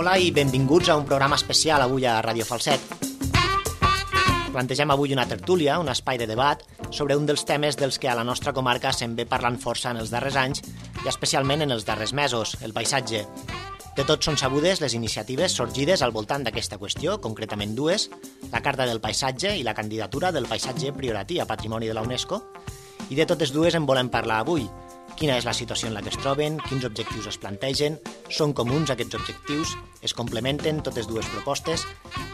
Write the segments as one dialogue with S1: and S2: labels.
S1: Hola i benvinguts a un programa especial avui a Ràdio Falset. Plantegem avui una tertúlia, un espai de debat, sobre un dels temes dels que a la nostra comarca se'n ve parlant força en els darrers anys i especialment en els darrers mesos, el paisatge. De tots són sabudes les iniciatives sorgides al voltant d'aquesta qüestió, concretament dues, la Carta del Paisatge i la candidatura del paisatge prioratí a Patrimoni de la UNESCO, i de totes dues en volem parlar avui. Quina és la situació en la que es troben, quins objectius es plantegen, són comuns aquests objectius, es complementen totes dues propostes,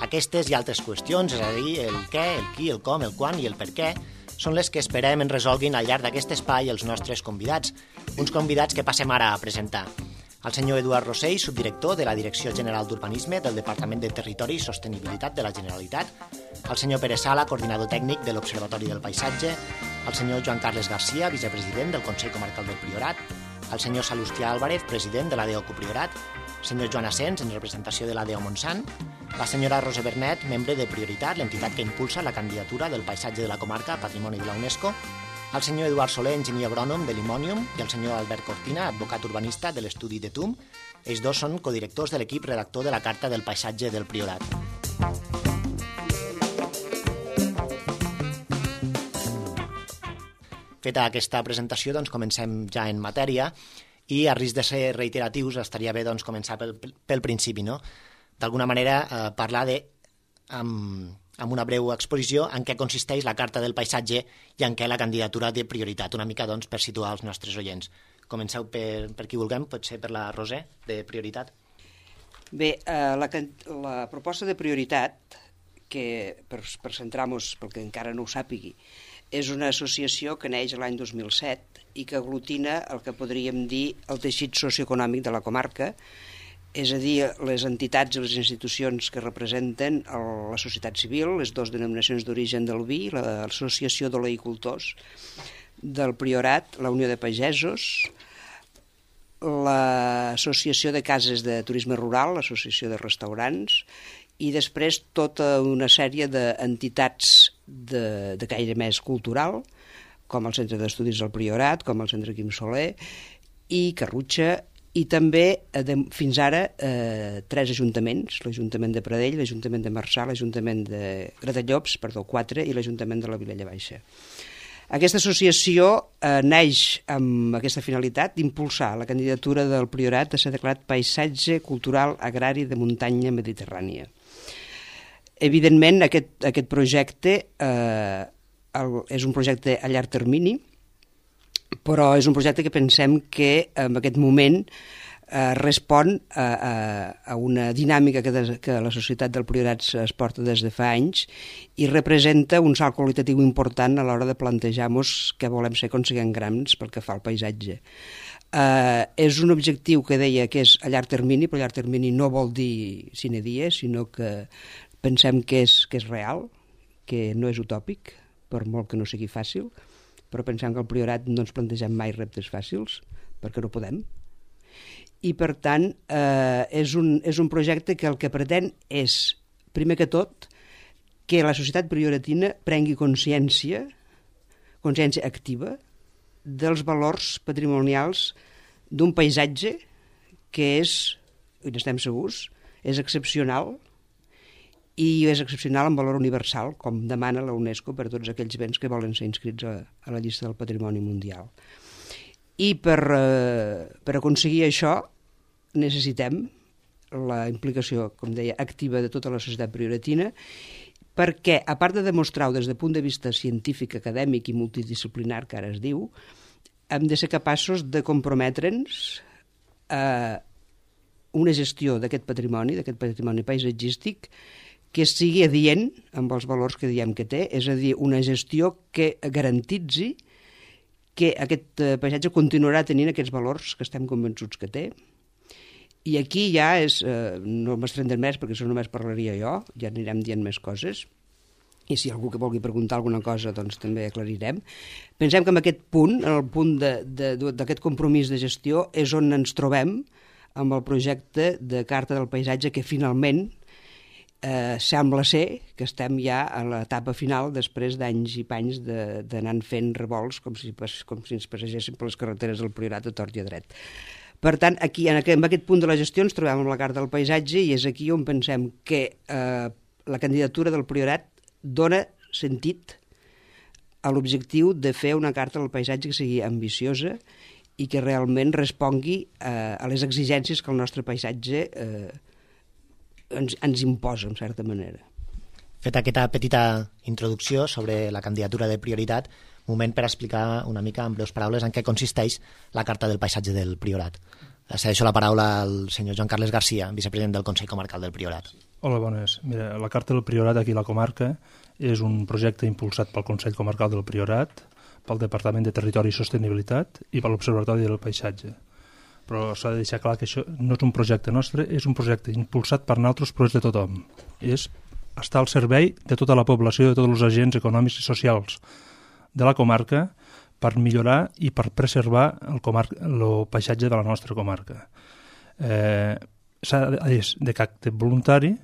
S1: aquestes i altres qüestions, és a dir, el què, el qui, el com, el quan i el per què, són les que esperem en resolguin al llarg d'aquest espai els nostres convidats, uns convidats que passem ara a presentar. El senyor Eduard Rossell, subdirector de la Direcció General d'Urbanisme del Departament de Territori i Sostenibilitat de la Generalitat, el senyor Pere Sala, coordinador tècnic de l'Observatori del Paisatge, el senyor Joan Carles Garcia, vicepresident del Consell Comarcal del Priorat, el senyor Salustià Álvarez, president de l'ADEO Copriorat, el senyor Joan Asens, en representació de l'ADEO Montsant, la senyora Rosa Bernet, membre de Prioritat, l'entitat que impulsa la candidatura del paisatge de la comarca a Patrimoni de la UNESCO, el senyor Eduard Soler, enginyer agrònom de l'Imònium, i el senyor Albert Cortina, advocat urbanista de l'estudi de TUM. Ells dos són codirectors de l'equip redactor de la Carta del Paisatge del Priorat. Feta aquesta presentació, doncs comencem ja en matèria i a risc de ser reiteratius estaria bé doncs, començar pel principi, no? D'alguna manera parlar amb una breu exposició en què consisteix la Carta del Paisatge i en què la candidatura de prioritat, una mica doncs, per situar els nostres oients. Comenceu per qui vulguem, potser per la Roser, de Prioritat.
S2: Bé, la proposta de prioritat, que per centrar-nos, pel que encara no ho sàpigui, és una associació que neix l'any 2007 i que aglutina el que podríem dir el teixit socioeconòmic de la comarca, és a dir, les entitats i les institucions que representen la societat civil, les dues denominacions d'origen del vi, l'Associació d'Oleicultors del Priorat, la Unió de Pagesos, l'Associació de Cases de Turisme Rural, l'Associació de Restaurants, i després tota una sèrie d'entitats de caire més cultural, com el Centre d'Estudis del Priorat, com el Centre Quim Soler i Carrutxa, i també, fins ara, 3 ajuntaments, l'Ajuntament de Pradell, l'Ajuntament de Marçà, l'Ajuntament de Gratallops, 4, i l'Ajuntament de la Vilella Baixa. Aquesta associació neix amb aquesta finalitat d'impulsar la candidatura del Priorat a ser declarat Paisatge Cultural Agrari de Muntanya Mediterrània. Evidentment, aquest projecte és un projecte a llarg termini, però és un projecte que pensem que en aquest moment respon a una dinàmica que la societat del Priorat es porta des de fa anys i representa un salt qualitatiu important a l'hora de plantejar-nos què volem ser quan siguem grans pel que fa al paisatge. És un objectiu que deia que és a llarg termini, però a llarg termini no vol dir sine die, sinó que pensem que és real, que no és utòpic, per molt que no sigui fàcil, però pensem que al Priorat no ens plantegem mai reptes fàcils, perquè no podem. I, per tant, és un projecte que el que pretén és, primer que tot, que la societat prioratina prengui consciència activa, dels valors patrimonials d'un paisatge que és, i n'estem segurs, és excepcional, i és excepcional en valor universal, com demana la UNESCO per tots aquells béns que volen ser inscrits a la llista del Patrimoni Mundial. I per aconseguir això necessitem la implicació, com deia, activa de tota la societat prioratina, perquè, a part de demostrar-ho des del punt de vista científic, acadèmic i multidisciplinar, que ara es diu, hem de ser capaços de comprometre'ns a una gestió d'aquest patrimoni paisatgístic, que sigui adient amb els valors que diem que té, és a dir, una gestió que garantitzi que aquest paisatge continuarà tenint aquests valors que estem convençuts que té. I aquí ja no m'estendré més perquè això només parlaria jo, ja anirem dient més coses, i si algú que vulgui preguntar alguna cosa doncs també aclarirem. Pensem que en aquest punt, en el punt d'aquest compromís de gestió, és on ens trobem amb el projecte de Carta del Paisatge que finalment sembla ser que estem ja a l'etapa final després d'anys i panys d'anar fent revolts com si ens passegéssim per les carreteres del Priorat a tort i a dret. Per tant, aquí, en aquest punt de la gestió ens trobem amb la Carta del Paisatge i és aquí on pensem que la candidatura del Priorat dona sentit a l'objectiu de fer una Carta del Paisatge que sigui ambiciosa i que realment respongui a les exigències que el nostre paisatge ens imposa, en certa manera.
S1: Feta aquesta petita introducció sobre la candidatura de Prioritat, moment per explicar una mica en breus paraules en què consisteix la Carta del Paisatge del Priorat. Cedeixo la paraula al senyor Joan Carles Garcia, vicepresident del Consell Comarcal del Priorat.
S3: Hola, bones. Mira, la Carta del Priorat aquí a la comarca és un projecte impulsat pel Consell Comarcal del Priorat, pel Departament de Territori i Sostenibilitat i per l'Observatori del Paisatge. Però s'ha de deixar clar que això no és un projecte nostre, és un projecte impulsat per nosaltres, però és de tothom. És estar al servei de tota la població, de tots els agents econòmics i socials de la comarca per millorar i per preservar el paisatge de la nostra comarca. És de caràcter voluntari,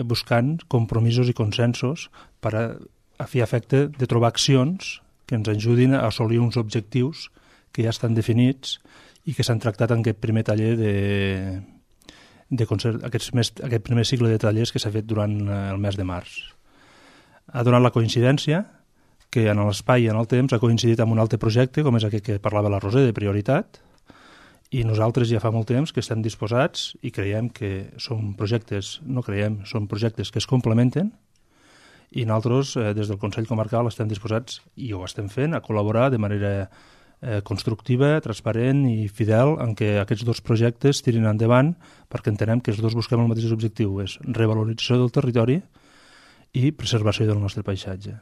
S3: buscant compromisos i consensos per a fi efecte de trobar accions que ens ajudin a assolir uns objectius que ja estan definits i que s'han tractat en aquest primer taller aquest primer cicle de tallers que s'ha fet durant el mes de març. Ha donat la coincidència que en l'espai i en el temps ha coincidit amb un altre projecte, com és aquest que parlava la Roser, de Prioritat, i nosaltres ja fa molt temps que estem disposats i creiem que són projectes, són projectes que es complementen i nosaltres, des del Consell Comarcal, estem disposats, i ho estem fent, a col·laborar de manera constructiva, transparent i fidel en què aquests dos projectes tirin endavant perquè entenem que els dos busquem el mateix objectiu, és revalorització del territori i preservació del nostre paisatge.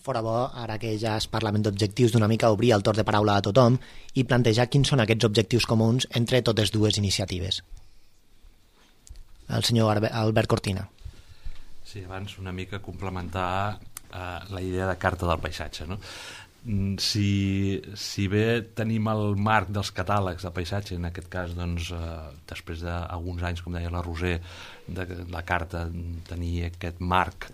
S1: Fora bo, ara que ja es parla d'objectius, d'una mica obrir el torn de paraula a tothom i plantejar quins són aquests objectius comuns entre totes dues iniciatives. El senyor Albert Cortina.
S4: Sí, abans una mica complementar la idea de Carta del Paisatge, no? Si bé tenim el marc dels catàlegs de paisatge, en aquest cas doncs, després d'alguns anys, com deia la Roser, de la carta tenir aquest marc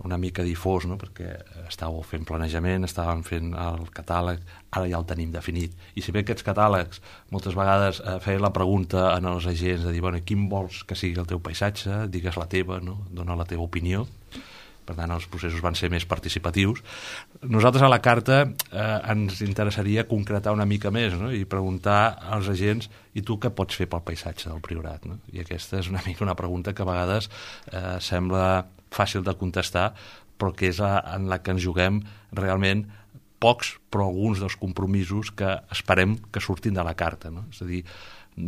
S4: una mica difós, no? Perquè estàveu fent planejament, estàvem fent el catàleg, ara ja el tenim definit, i si bé aquests catàlegs moltes vegades feien la pregunta als agents de dir, bueno, quin vols que sigui el teu paisatge, digues la teva, no? Dona la teva opinió. Per tant, els processos van ser més participatius. Nosaltres a la carta ens interessaria concretar una mica més, no? I preguntar als agents, i tu què pots fer pel paisatge del Priorat? No? I aquesta és una mica una pregunta que a vegades sembla fàcil de contestar, però que és en la que ens juguem realment pocs, però alguns dels compromisos que esperem que surtin de la carta. No? És a dir,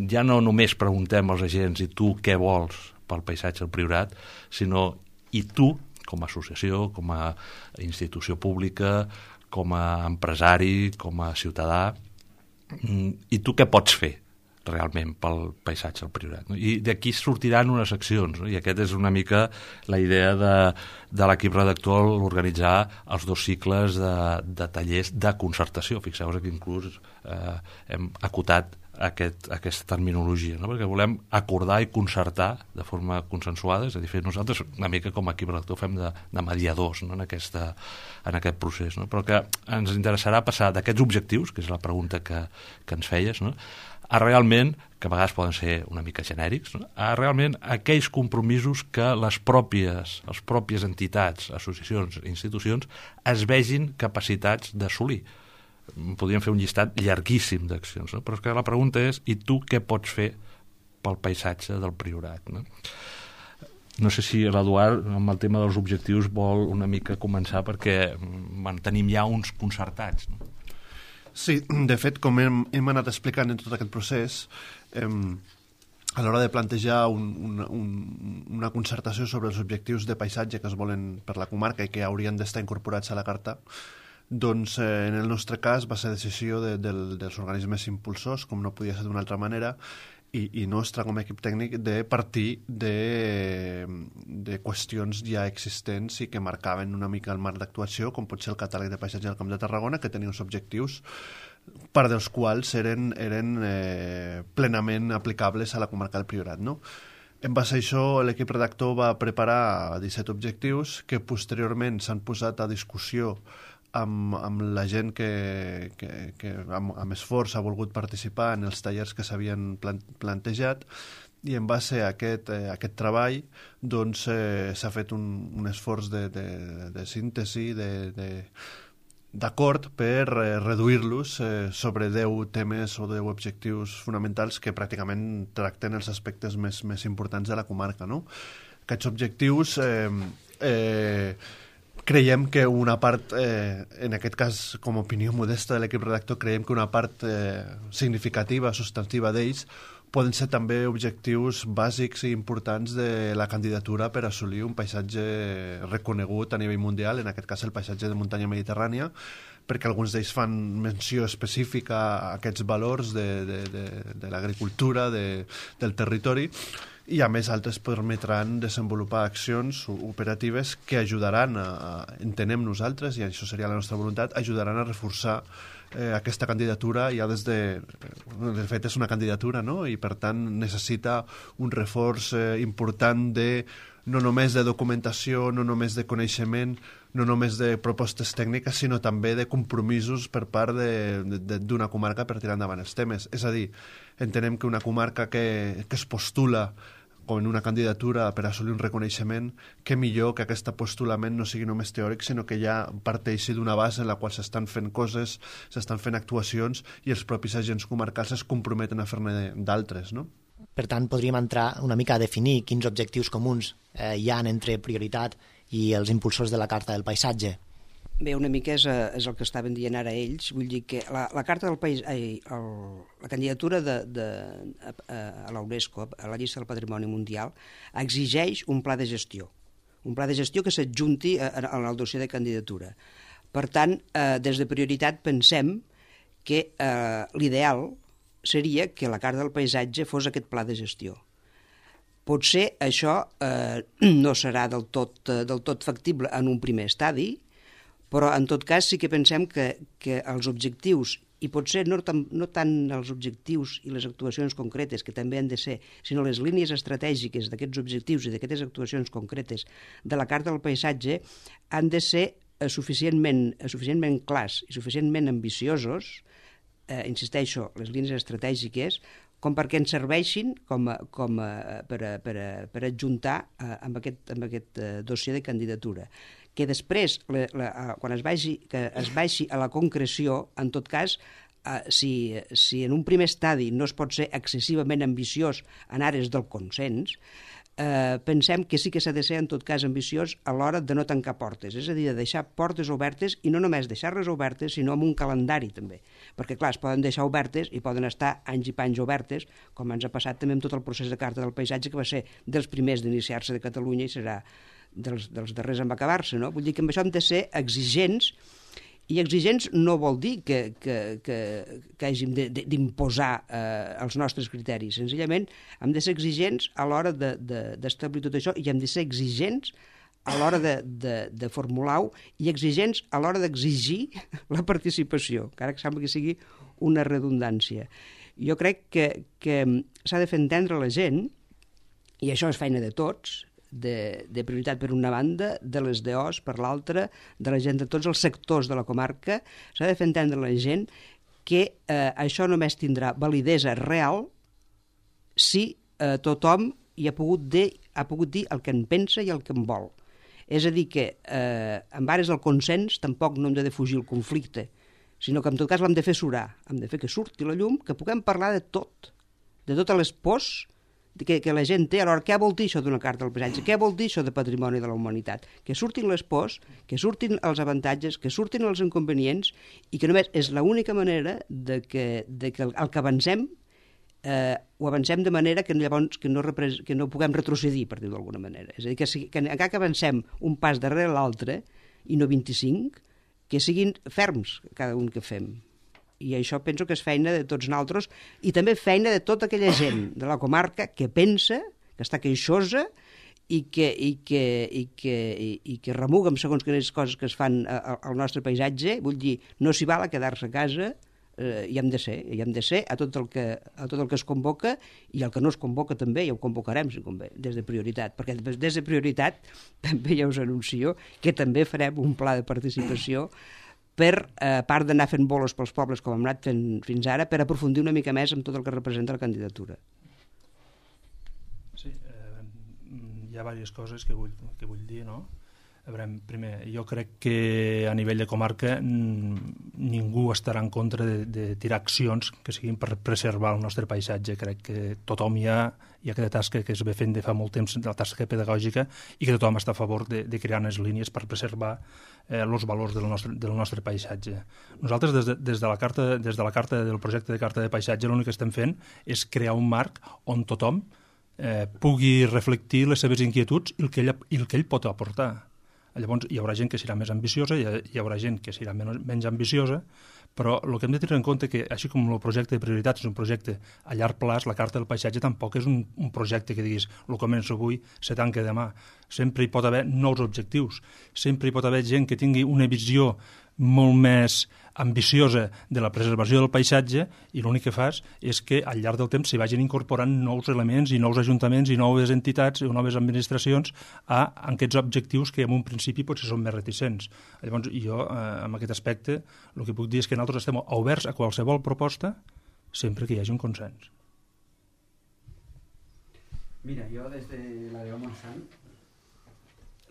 S4: ja no només preguntem als agents, i tu què vols pel paisatge del Priorat, sinó i tu, com a associació, com a institució pública, com a empresari, com a ciutadà, i tu què pots fer realment pel paisatge del Priorat? No? I d'aquí sortiran unes accions, no? I aquesta és una mica la idea de l'equip redactor organitzar els dos cicles de tallers de concertació. Fixeu-vos que inclús hem acotat aquesta terminologia, no? Perquè volem acordar i concertar de forma consensuada, és a dir, fer nosaltres una mica com a equip redactor fem de mediadors, no? en aquest procés, no? Però que ens interessarà passar d'aquests objectius, que és la pregunta que ens feies, no? A realment, que a vegades poden ser una mica genèrics, no? A realment aquells compromisos que les pròpies entitats, associacions, institucions es vegin capacitats d'assolir. Podríem fer un llistat llarguíssim d'accions, no? Però és que la pregunta és, i tu què pots fer pel paisatge del Priorat? No sé si l'Eduard, amb el tema dels objectius, vol una mica començar, perquè tenim ja uns concertats. No?
S5: Sí, de fet, com hem anat explicant en tot aquest procés, a l'hora de plantejar una concertació sobre els objectius de paisatge que es volen per la comarca i que haurien d'estar incorporats a la carta, doncs en el nostre cas va ser decisió dels organismes impulsors, com no podia ser d'una altra manera, i nostra com a equip tècnic de partir de qüestions ja existents i que marcaven una mica el marc d'actuació, com pot ser el catàleg de paisatge del Camp de Tarragona, que tenia uns objectius part dels quals eren plenament aplicables a la comarca del Priorat, no? En base a això, l'equip redactor va preparar 17 objectius que posteriorment s'han posat a discussió amb la gent que amb esforç ha volgut participar en els tallers que s'havien plantejat, i en base a aquest treball doncs, s'ha fet un esforç de síntesi, d'acord per reduir-los sobre 10 temes o 10 objectius fonamentals que pràcticament tracten els aspectes més importants de la comarca, no? Aquests objectius creiem que una part, en aquest cas com a opinió modesta de l'equip redactor, creiem que una part significativa, substantiva d'ells poden ser també objectius bàsics i importants de la candidatura per assolir un paisatge reconegut a nivell mundial, en aquest cas el paisatge de muntanya mediterrània, perquè alguns d'ells fan menció específica a aquests valors de l'agricultura, del territori, i a més altres permetran desenvolupar accions operatives que ajudaran entenem nosaltres, i això seria la nostra voluntat, ajudaran a reforçar aquesta candidatura ja de fet és una candidatura, no? I per tant necessita un reforç important no només de documentació, no només de coneixement, no només de propostes tècniques, sinó també de compromisos per part d'una comarca per tirar endavant els temes. És a dir, entenem que una comarca que es postula com en una candidatura per assolir un reconeixement, que millor que aquest postulament no sigui només teòric, sinó que ja parteixi d'una base en la qual s'estan fent coses, s'estan fent actuacions i els propis agents comarcals es comprometen a fer-ne d'altres, no?
S1: Per tant, podríem entrar una mica a definir quins objectius comuns hi ha entre prioritat i els impulsors de la Carta del Paisatge.
S2: Bé, una mica és el que estaven dient ara ells. Vull dir que la Carta del País, la candidatura a la UNESCO, a la llista del Patrimoni Mundial, exigeix un pla de gestió. Un pla de gestió que s'adjunti en el dossier de candidatura. Per tant, des de prioritat pensem que l'ideal seria que la Carta del Paisatge fos aquest pla de gestió. Potser això no serà del tot factible en un primer estadi, però en tot cas sí que pensem que els objectius, i potser no tant els objectius i les actuacions concretes, que també han de ser, sinó les línies estratègiques d'aquests objectius i d'aquestes actuacions concretes de la Carta del Paisatge han de ser suficientment clars i suficientment ambiciosos, insisteixo, les línies estratègiques, com perquè ens serveixin per adjuntar amb aquest dossier de candidatura. Que després, quan es vagi a la concreció, en tot cas, si en un primer estadi no es pot ser excessivament ambiciós en àrees del consens, pensem que sí que s'ha de ser en tot cas ambiciós a l'hora de no tancar portes, és a dir, de deixar portes obertes, i no només deixar-les obertes, sinó amb un calendari també, perquè clar, es poden deixar obertes i poden estar anys i panys obertes, com ens ha passat també amb tot el procés de Carta del Paisatge, que va ser dels primers d'iniciar-se de Catalunya i serà dels darrers en acabar-se, no? Vull dir que amb això hem de ser exigents, i exigents no vol dir que hàgim d'imposar els nostres criteris. Senzillament hem de ser exigents a l'hora d'establir tot això, i hem de ser exigents a l'hora de formular-ho i exigents a l'hora d'exigir la participació, encara que sembla que sigui una redundància. Jo crec que s'ha de fer entendre a la gent, i això és feina de tots, de prioritat per una banda, de les DOs per l'altra, de la gent de tots els sectors de la comarca, s'ha de fer entendre a la gent que això només tindrà validesa real si tothom hi ha pogut dir el que en pensa i el que en vol. És a dir, que en ares del consens tampoc no hem de defugir el conflicte, sinó que en tot cas l'hem de fer surar, hem de fer que surti la llum, que puguem parlar de tot, de totes les pors que la gent té. Alhora, què vol dir això d'una Carta del Paisatge? Què vol dir això de patrimoni de la humanitat? Que surtin les pors, que surtin els avantatges, que surtin els inconvenients, i que només és l'única manera de que el que avancem ho avancem de manera que llavors que no puguem retrocedir, per dir-ho d'alguna manera. És a dir, que encara que avancem un pas darrere l'altre, i no 25, que siguin ferms cada un que fem. I això penso que és feina de tots nosaltres, i també feina de tota aquella gent de la comarca que pensa, que està queixosa i que remuga amb segons quines coses que es fan al nostre paisatge. Vull dir, no s'hi val a quedar-se a casa, hi hem de ser a tot el que es convoca, i el que no es convoca també ja ho convocarem, si convé, des de prioritat, perquè des de prioritat també ja us anuncio que també farem un pla de participació per, a part d'anar fent bolos pels pobles com hem anat fent fins ara, per aprofundir una mica més en tot el que representa la candidatura.
S3: Sí, hi ha diverses coses que vull dir, no? A veure, primer, jo crec que a nivell de comarca ningú estarà en contra de tirar accions que siguin per preservar el nostre paisatge. Crec que tothom hi ha aquesta tasca que es ve fent de fa molt temps, la tasca pedagògica, i que tothom està a favor de crear unes línies per preservar els valors del nostre paisatge. Nosaltres, des de la carta del projecte de carta de paisatge, l'únic que estem fent és crear un marc on tothom pugui reflectir les seves inquietuds i el que ell pot aportar. Llavors hi haurà gent que serà més ambiciosa, hi haurà gent que serà menys ambiciosa, però el que hem de tenir en compte que, així com el projecte de prioritats és un projecte a llarg plaç, la carta del paisatge tampoc és un projecte que diguis el començo avui, se tanca demà. Sempre hi pot haver nous objectius, sempre hi pot haver gent que tingui una visió molt més ambiciosa de la preservació del paisatge, i l'únic que fas és que al llarg del temps s'hi vagin incorporant nous elements i nous ajuntaments i noves entitats o noves administracions a aquests objectius que en un principi potser són més reticents. Llavors jo, en aquest aspecte, el que puc dir és que nosaltres estem oberts a qualsevol proposta sempre que hi hagi un consens.
S6: Mira, jo des de la DO Montsant,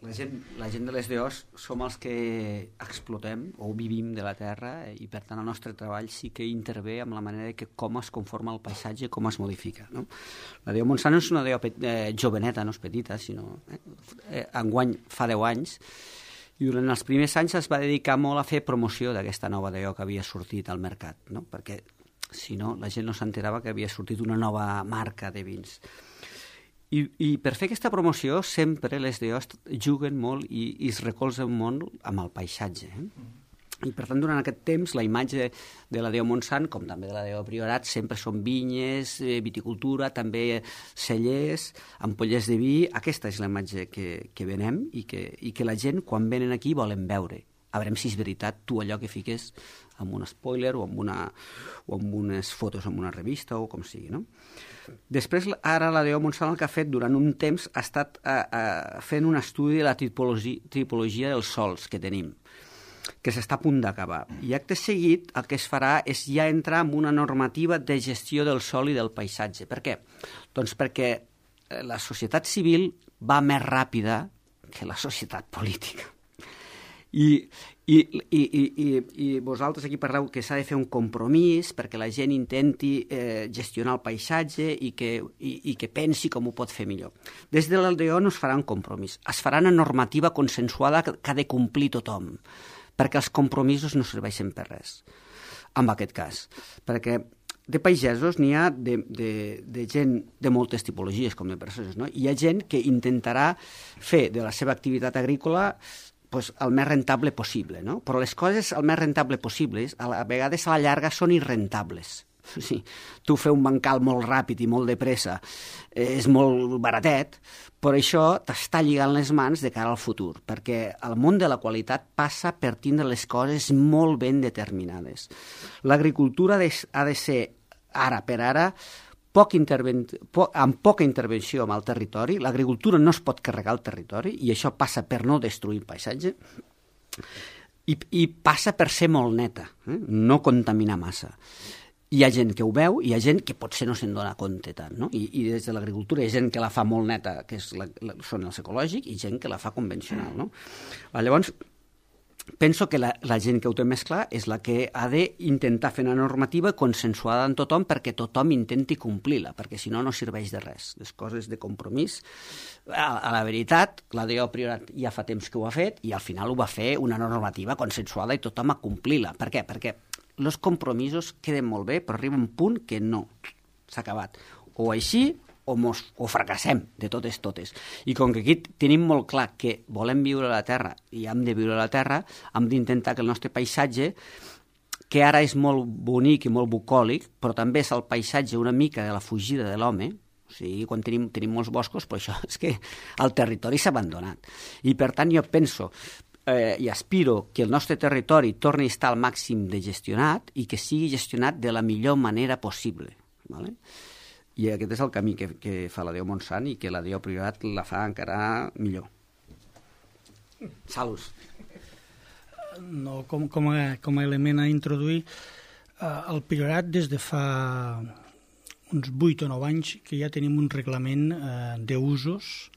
S6: la gent de les DOs som els que explotem o vivim de la terra, i per tant el nostre treball sí que intervé amb la manera que com es conforma el paisatge, com es modifica, no? La DO Montsant no és una DO joveneta, no és petita, sinó enguany fa 10 anys, i durant els primers anys es va dedicar molt a fer promoció d'aquesta nova DO que havia sortit al mercat, no? Perquè si no la gent no s'enterava que havia sortit una nova marca de vins. I per fer aquesta promoció sempre les DOs juguen molt i es recolzen molt amb el paisatge. I per tant, durant aquest temps, la imatge de la DO Montsant, com també de la DO Priorat, sempre són vinyes, viticultura, també cellers, ampollers de vi. Aquesta és la imatge que venem i que la gent, quan venen aquí, volen veure. A veure si és veritat tu allò que fiques amb un spoiler o amb unes fotos en una revista o com sigui, no? Després, ara la DO Montsant el que ha fet durant un temps ha estat fent un estudi de la tipologia dels sòls que tenim, que s'està a punt d'acabar. I acte seguit el que es farà és ja entrar en una normativa de gestió del sòl i del paisatge. Per què? Doncs perquè la societat civil va més ràpida que la societat política. I vosaltres aquí parleu que s'ha de fer un compromís perquè la gent intenti gestionar el paisatge i que pensi com ho pot fer millor. Des de l'LDO no es farà un compromís, es farà una normativa consensuada que ha de complir tothom, perquè els compromisos no serveixen per res, en aquest cas. Perquè de pagesos n'hi ha de gent de moltes tipologies, com de persones, no? Hi ha gent que intentarà fer de la seva activitat agrícola el més rentable possible, no? Però les coses el més rentable possibles a vegades a la llarga són irrentables. Sí, tu fer un bancal molt ràpid i molt de pressa és molt baratet, però això t'està lligant les mans de cara al futur, perquè el món de la qualitat passa per tindre les coses molt ben determinades. L'agricultura ha de ser, ara per ara, amb poca intervenció amb el territori. L'agricultura no es pot carregar el territori i això passa per no destruir el paisatge i passa per ser molt neta, no contaminar massa. Hi ha gent que ho veu, hi ha gent que potser no se'n dona compte tant, no? I des de l'agricultura hi ha gent que la fa molt neta, que són els ecològics, i gent que la fa convencional, no? Llavors, penso que la gent que ho té més clar és la que ha d'intentar fer una normativa consensuada amb tothom perquè tothom intenti complir-la, perquè si no, no serveix de res. Les coses de compromís, a la veritat, la DO Priorat ja fa temps que ho ha fet i al final ho va fer una normativa consensuada i tothom a complir-la. Per què? Perquè els compromisos queden molt bé, però arriba un punt que no, s'ha acabat. O així o fracassem de totes. I com que aquí tenim molt clar que volem viure a la Terra i hem de viure a la Terra, hem d'intentar que el nostre paisatge, que ara és molt bonic i molt bucòlic, però també és el paisatge una mica de la fugida de l'home, o sigui, quan tenim molts boscos, però això és que el territori s'ha abandonat. I per tant jo penso i aspiro que el nostre territori torni a estar al màxim de gestionat i que sigui gestionat de la millor manera possible, ¿vale? I aquest és el camí que fa la DO Montsant i que la DO Priorat la fa encara millor. Salus.
S7: no, com a element a introduir, el Priorat des de fa uns 8 o 9 anys que ja tenim un reglament d'usos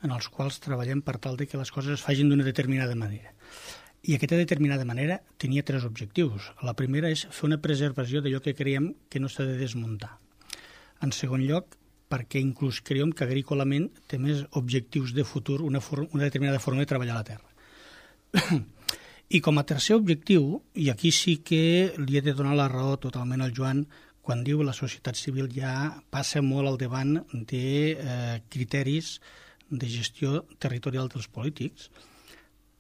S7: en els quals treballem per tal de que les coses es facin d'una determinada manera. I aquesta determinada manera tenia 3 objectius. La primera és fer una preservació d'allò que creiem que no s'ha de desmuntar. En segon lloc, perquè inclús creiem que agrícolament té més objectius de futur una determinada forma de treballar la terra. I com a tercer objectiu, i aquí sí que li he de donar la raó totalment al Joan, quan diu la societat civil ja passa molt al davant de criteris de gestió territorial dels polítics,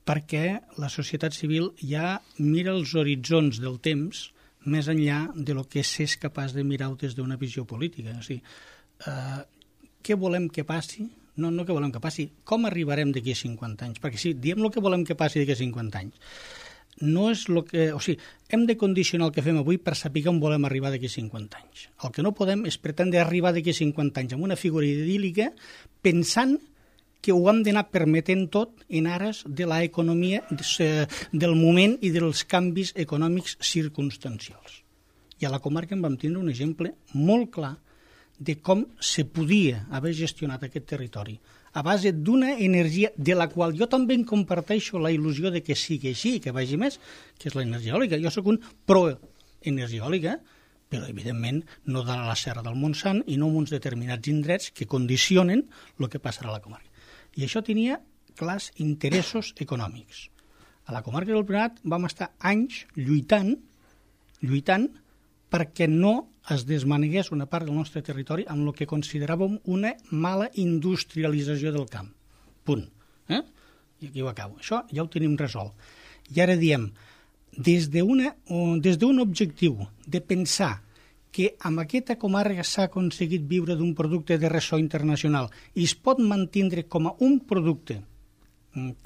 S7: perquè la societat civil ja mira els horitzons del temps més enllà de lo que s'és capaç de mirar des d'una visió política. O sigui, què volem que passi? No què volem que passi, com arribarem d'aquí a 50 anys? Perquè si diem el que volem que passi d'aquí a 50 anys, no és el que... O sigui, hem de condicionar el que fem avui per saber on volem arribar d'aquí a 50 anys. El que no podem és pretendre arribar d'aquí a 50 anys amb una figura idíl·lica pensant que ho hem d'anar permetent tot en ares de l'economia del moment i dels canvis econòmics circumstancials. I a la comarca en vam tindre un exemple molt clar de com se podia haver gestionat aquest territori a base d'una energia de la qual jo també en comparteixo la il·lusió de que sigui així, que vagi més, que és l'energia eòlica. Jo sóc un pro-energia eòlica, però evidentment no de la Serra del Montsant i no en uns determinats indrets que condicionen el que passarà a la comarca. I això tenia clars interessos econòmics. A la comarca del Priorat vam estar anys lluitant perquè no es desmanegués una part del nostre territori amb el que consideràvem una mala industrialització del camp. Punt. I aquí ho acabo. Això ja ho tenim resolt. I ara diem, des d'un objectiu de pensar que amb aquesta comarca s'ha aconseguit viure d'un producte de ressò internacional i es pot mantindre com a un producte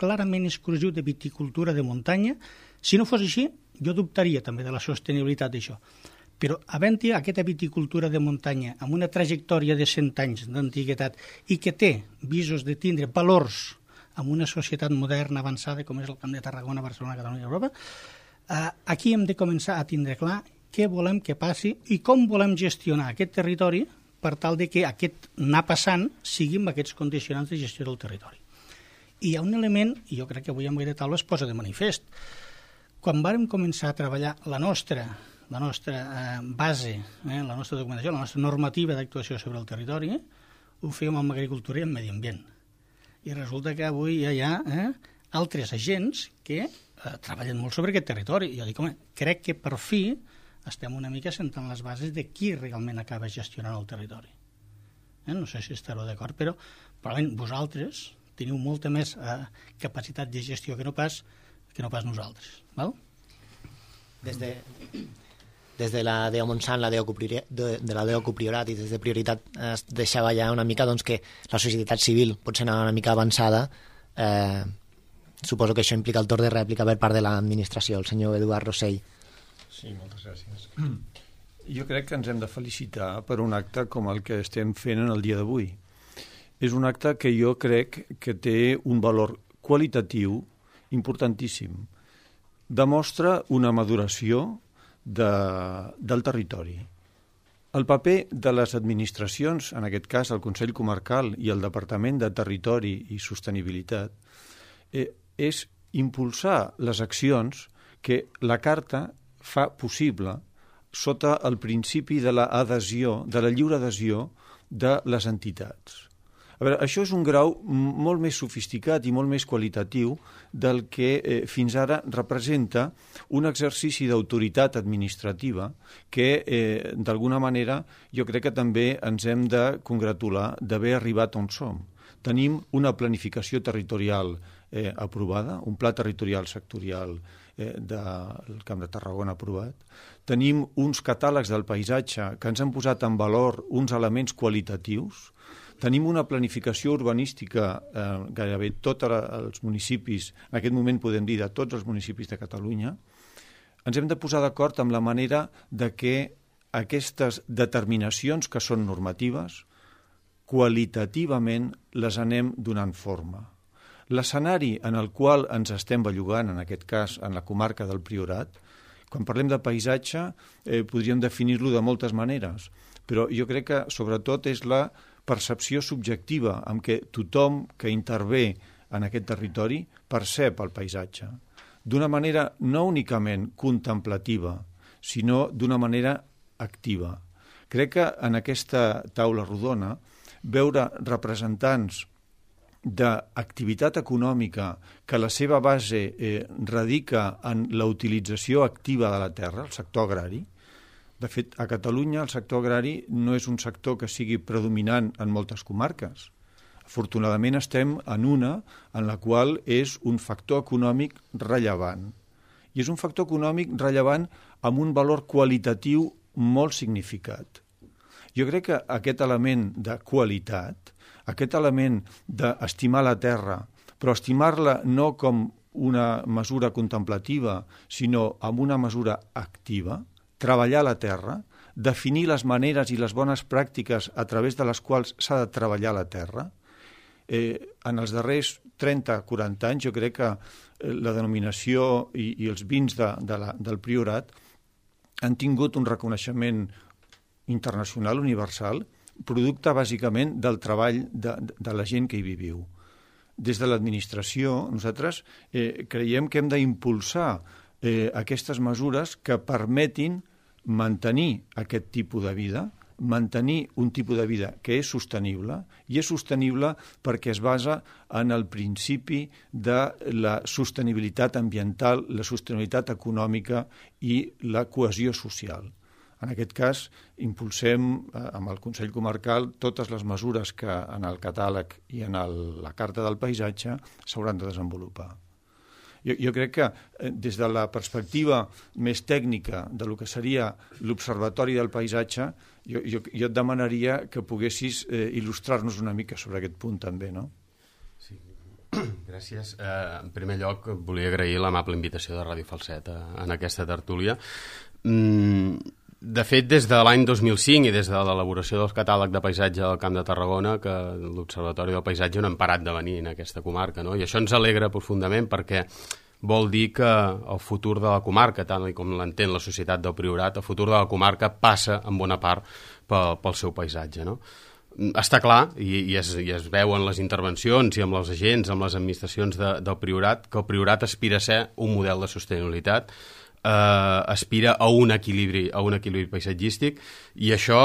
S7: clarament exclusiu de viticultura de muntanya, si no fos així, jo dubtaria també de la sostenibilitat d'això. Però havent-hi aquesta viticultura de muntanya amb una trajectòria de 100 anys d'antiguitat i que té visos de tindre valors en una societat moderna, avançada, com és el Camp de Tarragona, Barcelona, Catalunya i Europa, aquí hem de començar a tindre clar què volem que passi i com volem gestionar aquest territori per tal de que aquest anar passant sigui amb aquests condicionants de gestió del territori. I hi ha un element, i jo crec que avui amb aquest taula es posa de manifest. Quan vàrem començar a treballar la nostra base, la nostra documentació, la nostra normativa d'actuació sobre el territori, ho fèiem amb agricultura i amb medi ambient. I resulta que avui ja hi ha altres agents que treballen molt sobre aquest territori. I jo dic, home, crec que per fi estem una mica sentant les bases de qui realment acaba gestionant el territori. No sé si estareu d'acord, però probablement vosaltres teniu molta més capacitat de gestió que no pas nosaltres. Val?
S1: Des de la DEO Montsant, de la DEO Priorat i des de Prioritat es deixava ja una mica doncs, que la societat civil potser anar una mica avançada. Suposo que això implica el torn de rèplica per part de l'administració, el senyor Eduard Rossell.
S8: Sí, moltes gràcies. Jo crec que ens hem de felicitar per un acte com el que estem fent en el dia d'avui. És un acte que jo crec que té un valor qualitatiu importantíssim. Demostra una maduració del territori. El paper de les administracions, en aquest cas el Consell Comarcal i el Departament de Territori i Sostenibilitat, és impulsar les accions que la Carta fa possible sota el principi de l'adhesió, de la lliure adhesió de les entitats. A veure, això és un grau molt més sofisticat i molt més qualitatiu del que fins ara representa un exercici d'autoritat administrativa que, d'alguna manera, jo crec que també ens hem de congratular d'haver arribat on som. Tenim una planificació territorial aprovada, un pla territorial sectorial del Camp de Tarragona aprovat. Tenim uns catàlegs del paisatge que ens han posat en valor uns elements qualitatius. Tenim una planificació urbanística gairebé tots els municipis, en aquest moment podem dir de tots els municipis de Catalunya. Ens hem de posar d'acord amb la manera de que aquestes determinacions que són normatives, qualitativament les anem donant forma. L'escenari en el qual ens estem bellugant, en aquest cas en la comarca del Priorat, quan parlem de paisatge podríem definir-lo de moltes maneres, però jo crec que sobretot és la percepció subjectiva amb què tothom que intervé en aquest territori percep el paisatge, d'una manera no únicament contemplativa, sinó d'una manera activa. Crec que en aquesta taula rodona veure representants d'activitat econòmica que la seva base radica en la utilització activa de la terra, el sector agrari. De fet, a Catalunya el sector agrari no és un sector que sigui predominant en moltes comarques. Afortunadament estem en una en la qual és un factor econòmic rellevant. I és un factor econòmic rellevant amb un valor qualitatiu molt significat. Jo crec que aquest element de qualitat, aquest element d'estimar la terra, però estimar-la no com una mesura contemplativa, sinó amb una mesura activa, treballar la terra, definir les maneres i les bones pràctiques a través de les quals s'ha de treballar la terra. En els darrers 30-40 anys jo crec que la denominació i els vins del Priorat han tingut un reconeixement internacional, universal, producte bàsicament del treball de la gent que hi viviu. Des de l'administració nosaltres creiem que hem d'impulsar aquestes mesures que permetin mantenir aquest tipus de vida, mantenir un tipus de vida que és sostenible, i és sostenible perquè es basa en el principi de la sostenibilitat ambiental, la sostenibilitat econòmica i la cohesió social. En aquest cas, impulsem amb el Consell Comarcal totes les mesures que en el catàleg i en la Carta del Paisatge s'hauran de desenvolupar. Jo crec que des de la perspectiva més tècnica de lo que seria l'Observatori del Paisatge, jo et demanaria que poguessis il·lustrar-nos una mica sobre aquest punt també, no?
S9: Sí. Gràcies. En primer lloc, volia agrair l'amable invitació de Ràdio Falset en aquesta tertúlia. De fet, des de l'any 2005 i des de l'elaboració del catàleg de paisatge del Camp de Tarragona, que l'Observatori del Paisatge no hem parat de venir en aquesta comarca, no? I això ens alegra profundament perquè vol dir que el futur de la comarca, tant com l'entén la societat del Priorat, el futur de la comarca passa en bona part pel seu paisatge, no? Està clar, i es veu en les intervencions i amb els agents, amb les administracions del Priorat, que el Priorat aspira a ser un model de sostenibilitat, aspira a un equilibri paisatgístic, i això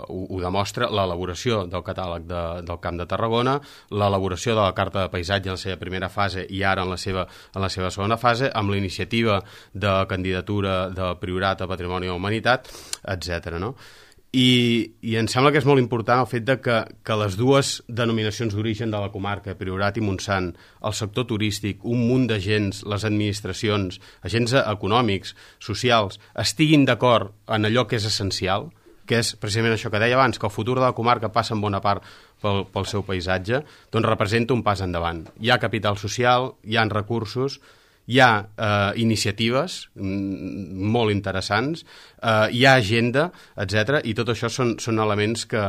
S9: ho demostra l'elaboració del catàleg del Camp de Tarragona, l'elaboració de la Carta de Paisatge en la seva primera fase i ara en la seva segona fase, amb la iniciativa de candidatura del Priorat a Patrimoni de la Humanitat, etc. no? I em sembla que és molt important el fet que les dues denominacions d'origen de la comarca, Priorat i Montsant, el sector turístic, un munt d'agents, les administracions, agents econòmics, socials, estiguin d'acord en allò que és essencial, que és precisament això que deia abans, que el futur de la comarca passa en bona part pel seu paisatge, doncs representa un pas endavant. Hi ha capital social, hi ha recursos, hi ha iniciatives molt interessants, hi ha agenda, etc. I tot això són elements que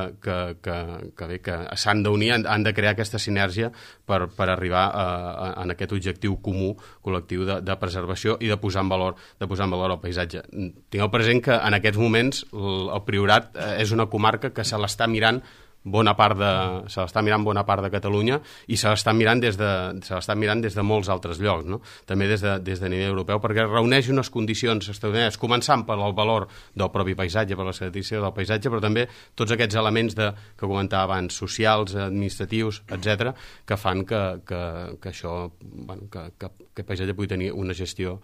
S9: s'han d'unir, han de crear aquesta sinergia per arribar a aquest objectiu comú, col·lectiu de preservació i de posar en valor el paisatge. Tingueu present que en aquests moments el Priorat és una comarca que se l'està mirant bona part de Catalunya, i se l'està mirant des de molts altres llocs, no? També des de nivell europeu, perquè reuneix unes condicions extraordinàries, començant per el valor del propi paisatge, per la característica del paisatge, però també tots aquests elements que comentava abans, socials, administratius, etc., que fan que això, que el paisatge pugui tenir una gestió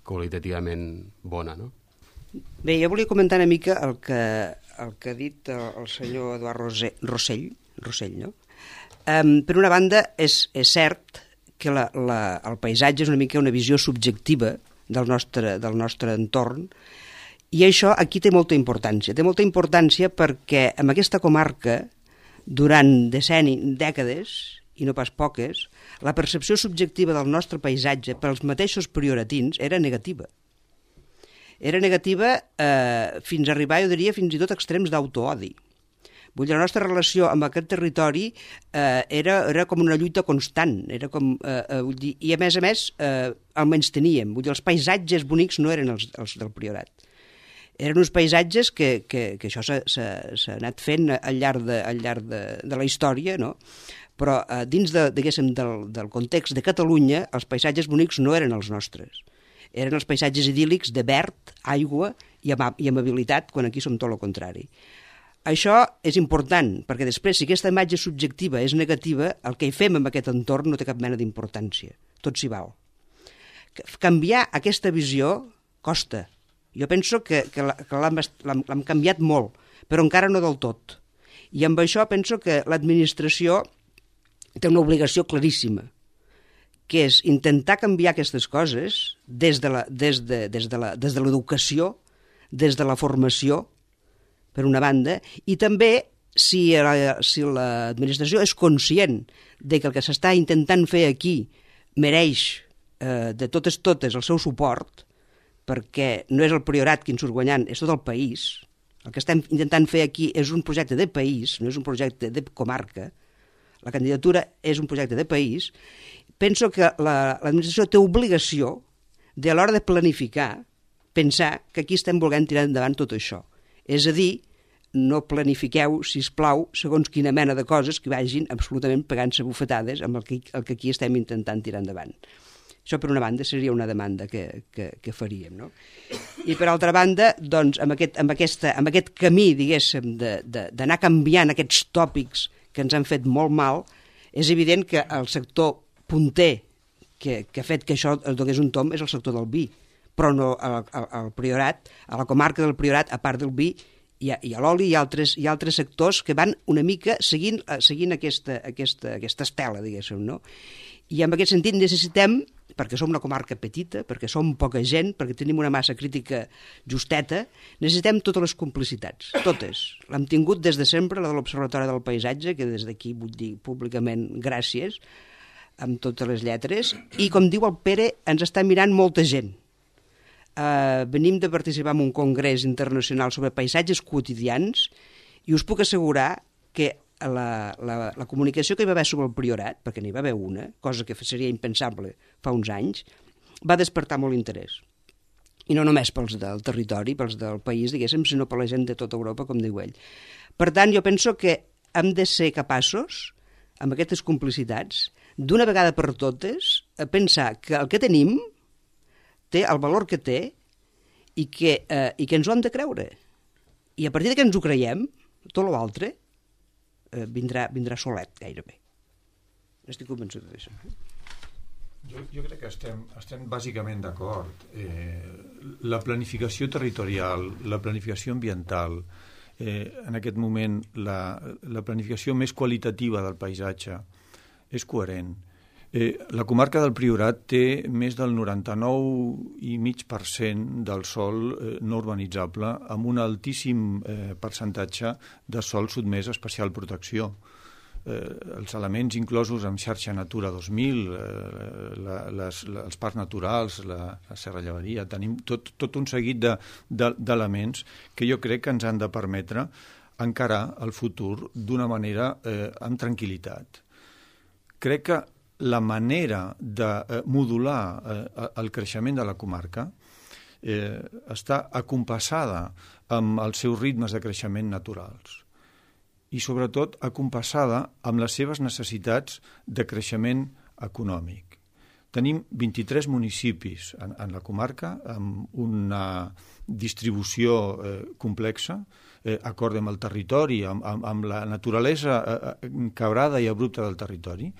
S9: qualitativament bona, no?
S2: Bé, jo volia comentar una mica el que ha dit el senyor Eduard Rossell, no? Per una banda, és cert que el paisatge és una mica una visió subjectiva del nostre entorn, i això aquí té molta importància. Té molta importància perquè en aquesta comarca, durant dècades, i no pas poques, la percepció subjectiva del nostre paisatge pels mateixos prioratins era negativa. Era negativa fins a arribar, jo diria, fins i tot extrems d'autoodi. Vull dir, la nostra relació amb aquest territori era com una lluita constant, era com, vull dir, i a més el menys teníem. Vull dir, els paisatges bonics no eren els del Priorat. Eren uns paisatges que això s'ha anat fent al llarg de la història, no? Però dins del context de Catalunya, els paisatges bonics no eren els nostres. Eren els paisatges idíl·lics de verd, aigua i amabilitat, quan aquí som tot el contrari. Això és important, perquè després, si aquesta imatge subjectiva és negativa, el que hi fem amb aquest entorn no té cap mena d'importància. Tot s'hi val. Canviar aquesta visió costa. Jo penso que l'hem canviat molt, però encara no del tot. I amb això penso que l'administració té una obligació claríssima, que és intentar canviar aquestes coses des de l'educació, des de la formació, per una banda, i també si l'administració és conscient de que el que s'està intentant fer aquí mereix de totes el seu suport, perquè no és el Priorat qui en surt guanyant, és tot el país. El que estem intentant fer aquí és un projecte de país, no és un projecte de comarca. La candidatura és un projecte de país. Penso que l'administració té obligació de, a l'hora de planificar, pensar que aquí estem volent tirar endavant tot això. És a dir, no planifiqueu, sisplau, segons quina mena de coses que vagin absolutament pegant-se bufetades amb el que aquí estem intentant tirar endavant. Això, per una banda, seria una demanda que faríem, no? I, per altra banda, doncs, amb aquest camí, diguéssim, d'anar canviant aquests tòpics que ens han fet molt mal, és evident que el sector punter que ha fet que això es donés un tom és el sector del vi, però no al Priorat, a la comarca del Priorat, a part del vi, hi ha l'oli i altres sectors que van una mica seguint aquesta estela, diguéssim, no? I en aquest sentit necessitem, perquè som una comarca petita, perquè som poca gent, perquè tenim una massa crítica justeta, necessitem totes les complicitats, totes. L'hem tingut des de sempre, la de l'Observatori del Paisatge, que des d'aquí vull dir públicament gràcies, amb totes les lletres, i com diu el Pere, ens està mirant molta gent. Venim de participar en un congrés internacional sobre paisatges quotidians i us puc assegurar que la comunicació que hi va haver sobre el Priorat, perquè n'hi va haver una, cosa que seria impensable fa uns anys, va despertar molt interès. I no només pels del territori, pels del país, diguéssim, sinó per la gent de tota Europa, com diu ell. Per tant, jo penso que hem de ser capaços, amb aquestes complicitats, d'una vegada per totes, a pensar que el que tenim té el valor que té i que ens ho hem de creure. I a partir que ens ho creiem, tot l'altre vindrà solet, gairebé. Estic convençut d'això.
S8: Jo crec que estem bàsicament d'acord. La planificació territorial, la planificació ambiental, en aquest moment la planificació més qualitativa del paisatge és coherent. La comarca del Priorat té més del 99,5% del sòl no urbanitzable, amb un altíssim percentatge de sòl sotmès a especial protecció. Els elements inclosos en xarxa Natura 2000, els parcs naturals, la Serra Llevaria, tenim tot un seguit d'elements que jo crec que ens han de permetre encarar el futur d'una manera amb tranquil·litat. Crec que la manera de modular el creixement de la comarca està acompassada amb els seus ritmes de creixement naturals i, sobretot, acompassada amb les seves necessitats de creixement econòmic. Tenim 23 municipis en la comarca amb una distribució complexa, acord amb el territori, amb la naturalesa quebrada i abrupta del territori,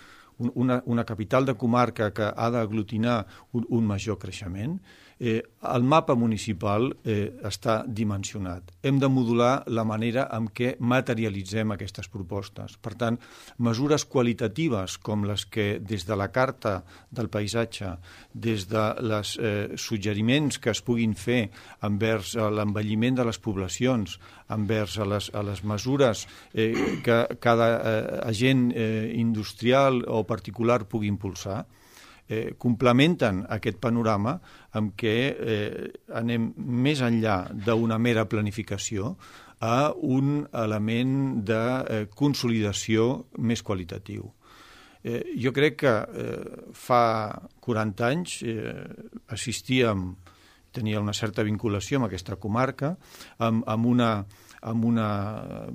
S8: una capital de comarca que ha d'aglutinar un major creixement. El mapa municipal està dimensionat. Hem de modular la manera en què materialitzem aquestes propostes. Per tant, mesures qualitatives com les que des de la Carta del Paisatge, des de els suggeriments que es puguin fer envers l'envelliment de les poblacions, envers a les mesures que cada agent industrial o particular pugui impulsar, complementen aquest panorama amb què anem més enllà d'una mera planificació a un element de consolidació més qualitatiu. Jo crec que fa 40 anys tenia una certa vinculació amb aquesta comarca,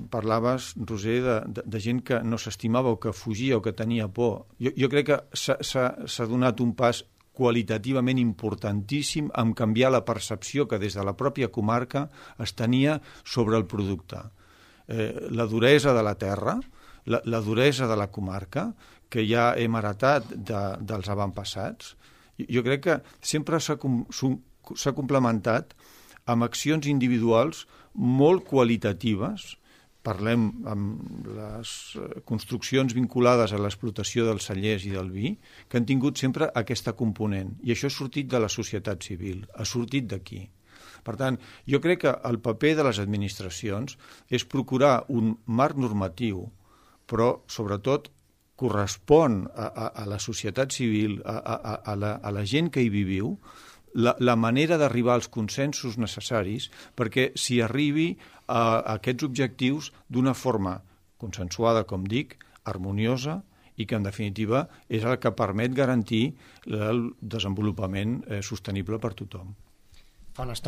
S8: parlaves, Roser, de gent que no s'estimava o que fugia o que tenia por. Jo crec que s'ha donat un pas qualitativament importantíssim en canviar la percepció que des de la pròpia comarca es tenia sobre el producte. La duresa de la terra, la duresa de la comarca, que ja hem heretat dels avantpassats, jo crec que sempre s'ha complementat amb accions individuals molt qualitatives. Parlem amb les construccions vinculades a l'explotació dels cellers i del vi, que han tingut sempre aquesta component. I això ha sortit de la societat civil, ha sortit d'aquí. Per tant, jo crec que el paper de les administracions és procurar un marc normatiu, però, sobretot, correspon a la societat civil, a la gent que hi viviu, la manera d'arribar als consensos necessaris perquè s'hi arribi a aquests objectius d'una forma consensuada, com dic, harmoniosa i que, en definitiva, és el que permet garantir el desenvolupament sostenible per tothom.
S1: Fa una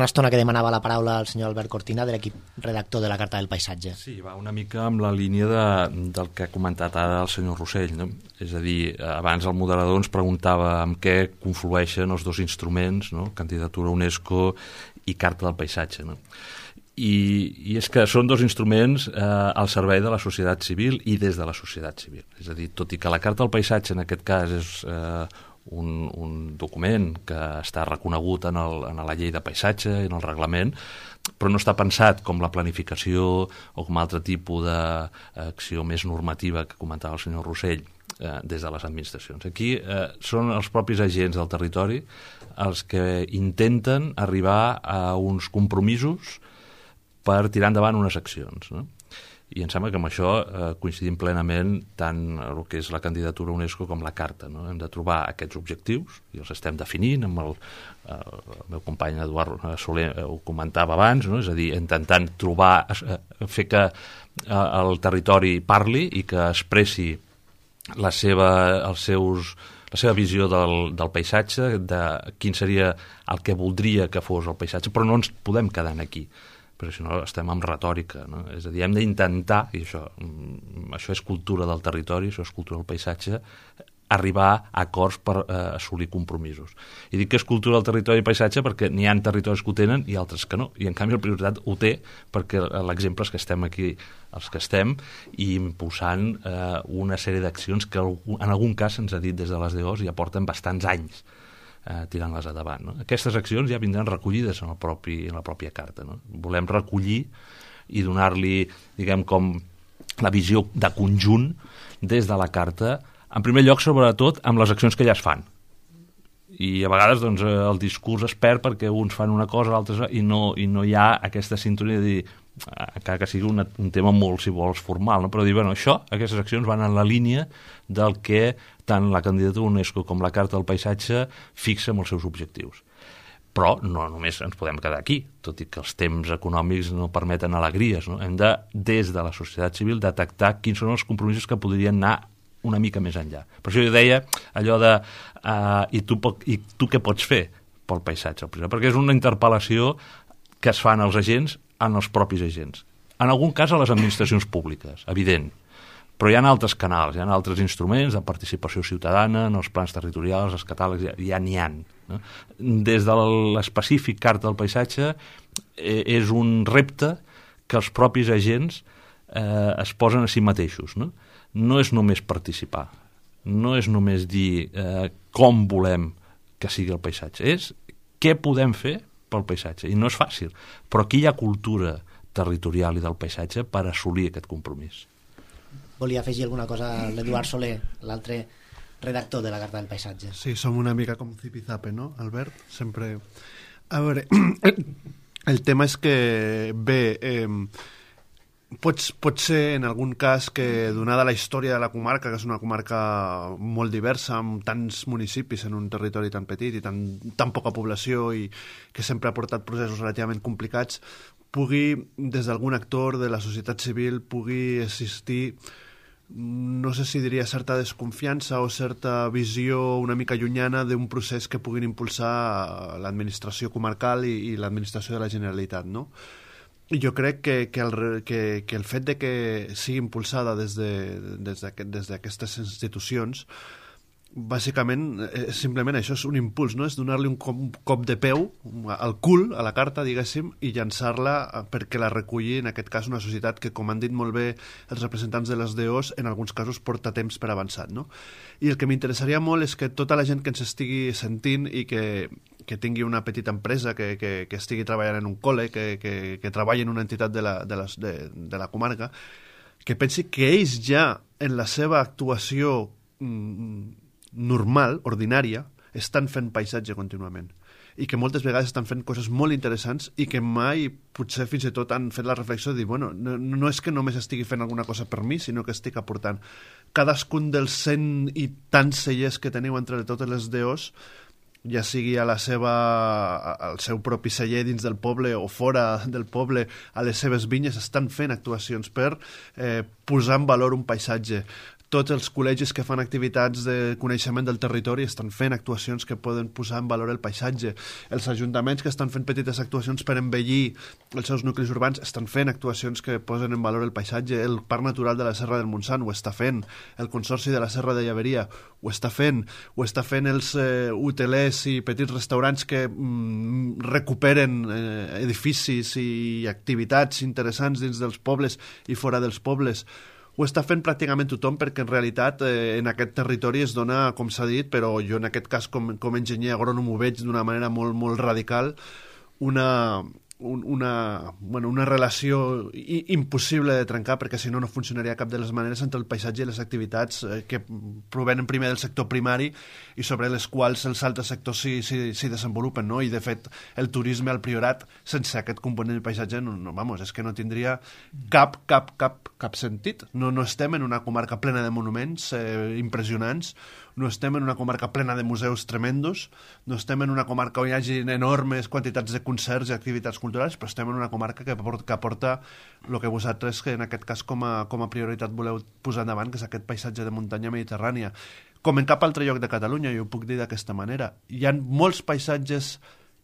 S1: estona que demanava la paraula el senyor Albert Cortina, de l'equip redactor de la Carta del Paisatge.
S4: Sí, va una mica amb la línia del que ha comentat ara el senyor Rossell, no? És a dir, abans el moderador ens preguntava amb què conflueixen els dos instruments, no? Candidatura UNESCO i Carta del Paisatge, no? I és que són dos instruments al servei de la societat civil i des de la societat civil. És a dir, tot i que la Carta del Paisatge en aquest cas és un document que està reconegut en la llei de paisatge i en el reglament, però no està pensat com la planificació o com altre tipus d'acció més normativa que comentava el senyor Rossell des de les administracions. Aquí són els propis agents del territori els que intenten arribar a uns compromisos per tirar endavant unes accions, no? I em sembla que amb això coincidim plenament tant el que és la candidatura UNESCO com la Carta, no? Hem de trobar aquests objectius i els estem definint, amb el meu company Eduard Soler ho comentava abans, no? És a dir, intentant fer que el territori parli i que expressi la seva visió del paisatge, de quin seria el que voldria que fos el paisatge, però no ens podem quedar aquí, perquè si no estem amb retòrica, no? És a dir, hem d'intentar, i això és cultura del territori, això és cultura del paisatge, arribar a acords per assolir compromisos. I dic que és cultura del territori i paisatge perquè n'hi ha territoris que ho tenen i altres que no, i en canvi la prioritat ho té perquè l'exemple és que estem aquí els que estem i impulsant una sèrie d'accions que en algun cas se'ns ha dit des de les DOs ja porten bastants anys tirant-les endavant, no? Aquestes accions ja vindran recollides en la pròpia carta, no? Volem recollir i donar-li, diguem, com la visió de conjunt des de la carta, en primer lloc, sobretot, amb les accions que ja es fan. I a vegades doncs, el discurs es perd perquè uns fan una cosa, altres i no hi ha aquesta sintonia de dir, encara que sigui un tema molt, si vols, formal, no? Però dir, bueno, aquestes accions van en la línia del que tant la candidatura UNESCO com la Carta del Paisatge fixa amb els seus objectius. Però no només ens podem quedar aquí, tot i que els temps econòmics no permeten alegries, no? Hem de, des de la societat civil, detectar quins són els compromisos que podrien anar una mica més enllà. Per això jo deia allò de i tu què pots fer pel paisatge? Perquè és una interpel·lació que es fan els agents en els propis agents. En algun cas a les administracions públiques, evident, però hi ha altres canals, hi ha altres instruments de participació ciutadana, en els plans territorials, els catàlegs, ja n'hi ha. No? Des de l'específic Carta del Paisatge és un repte que els propis agents es posen a si mateixos. No és només participar, no és només dir com volem que sigui el paisatge, és què podem fer pel paisatge, i no és fàcil, però aquí hi ha cultura territorial i del paisatge per assolir aquest compromís.
S1: Volia afegir alguna cosa l'Eduard Soler, l'altre redactor de la Carta del Paisatge.
S5: Sí, som una mica com Zipizape, no, Albert? Sempre... A veure, el tema és que, bé, Pot ser, en algun cas, que donada la història de la comarca, que és una comarca molt diversa, amb tants municipis en un territori tan petit i tan poca població i que sempre ha portat processos relativament complicats, pugui, des d'algun actor de la societat civil, pugui existir, no sé si diria certa desconfiança o certa visió una mica llunyana d'un procés que puguin impulsar l'administració comarcal i l'administració de la Generalitat, no? I jo crec que el fet de que sigui impulsada des d'aquestes institucions, bàsicament, és simplement això, és un impuls, no? És donar-li un cop de peu al cul, a la carta, diguéssim, i llançar-la perquè la reculli, en aquest cas, una societat que, com han dit molt bé els representants de les DOs, en alguns casos porta temps per avançat, no? I el que m'interessaria molt és que tota la gent que ens estigui sentint i que tingui una petita empresa, que estigui treballant en un col·le, que treballi en una entitat de la comarca, que pensi que ells ja, en la seva actuació normal, ordinària, estan fent paisatge contínuament i que moltes vegades estan fent coses molt interessants i que mai, potser fins i tot han fet la reflexió de dir, bueno, no és que només estigui fent alguna cosa per mi, sinó que estic aportant. Cadascun dels 100 i tants cellers que teniu entre totes les DOs, ja sigui al seu propi celler dins del poble o fora del poble, a les seves vinyes, estan fent actuacions per posar en valor un paisatge. Tots els col·legis que fan activitats de coneixement del territori estan fent actuacions que poden posar en valor el paisatge. Els ajuntaments que estan fent petites actuacions per embellir els seus nuclis urbans estan fent actuacions que posen en valor el paisatge. El Parc Natural de la Serra del Montsant ho està fent. El Consorci de la Serra de Llaveria ho està fent. Ho està fent els hotelers i petits restaurants que recuperen edificis i activitats interessants dins dels pobles i fora dels pobles. Ho està fent pràcticament tothom perquè en realitat en aquest territori es dona, com s'ha dit, però jo en aquest cas com a enginyer agrònom ho veig d'una manera molt, molt radical, una relació impossible de trencar, perquè si no funcionaria cap de les maneres entre el paisatge i les activitats que provenen primer del sector primari i sobre les quals els altres sectors s'hi desenvolupen, no? I de fet el turisme al Priorat sense aquest component del paisatge és que no tindria cap sentit. No estem en una comarca plena de monuments impressionants, no estem en una comarca plena de museus tremendos, no estem en una comarca on hi hagi enormes quantitats de concerts i activitats culturals, però estem en una comarca que aporta el que vosaltres, que en aquest cas com a prioritat voleu posar endavant, que és aquest paisatge de muntanya mediterrània. Com en cap altre lloc de Catalunya, jo ho puc dir d'aquesta manera. Hi ha molts paisatges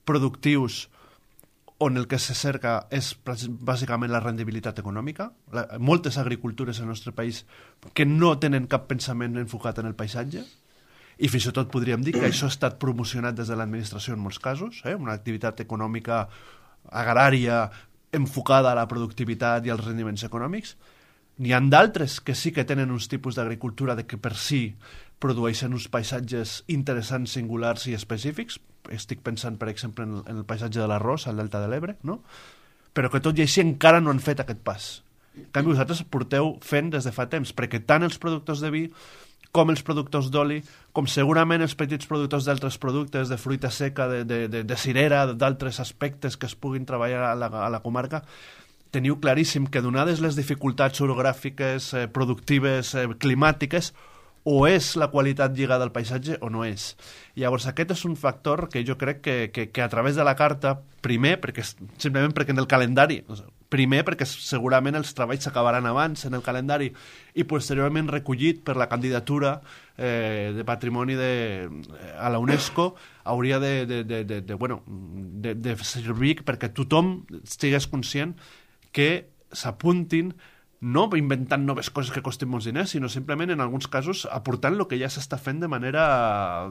S5: productius on el que se cerca és bàsicament la rendibilitat econòmica. Moltes agricultures al nostre país que no tenen cap pensament enfocat en el paisatge, i fins i tot podríem dir que això ha estat promocionat des de l'administració en molts casos, una activitat econòmica agrària enfocada a la productivitat i als rendiments econòmics. N'hi ha d'altres que sí que tenen uns tipus d'agricultura que per si produeixen uns paisatges interessants, singulars i específics. Estic pensant, per exemple, en el paisatge de l'arròs, al Delta de l'Ebre, no? Però que tot i així encara no han fet aquest pas. En canvi, vosaltres porteu fent des de fa temps, perquè tant els productors de vi com els productors d'oli, com segurament els petits productors d'altres productes, de fruita seca, de cirera, d'altres aspectes que es puguin treballar a la comarca, teniu claríssim que donades les dificultats orogràfiques, productives, climàtiques, o és la qualitat lligada al paisatge o no és. Llavors aquest és un factor que jo crec que a través de la carta, primer, simplement perquè en el calendari, primer perquè segurament els treballs s'acabaran abans en el calendari i posteriorment recollit per la candidatura de patrimoni a la UNESCO, hauria de servir perquè tothom estigués conscient que s'apuntin, no inventant noves coses que costin molts diners, sinó simplement, en alguns casos, aportant el que ja s'està fent de manera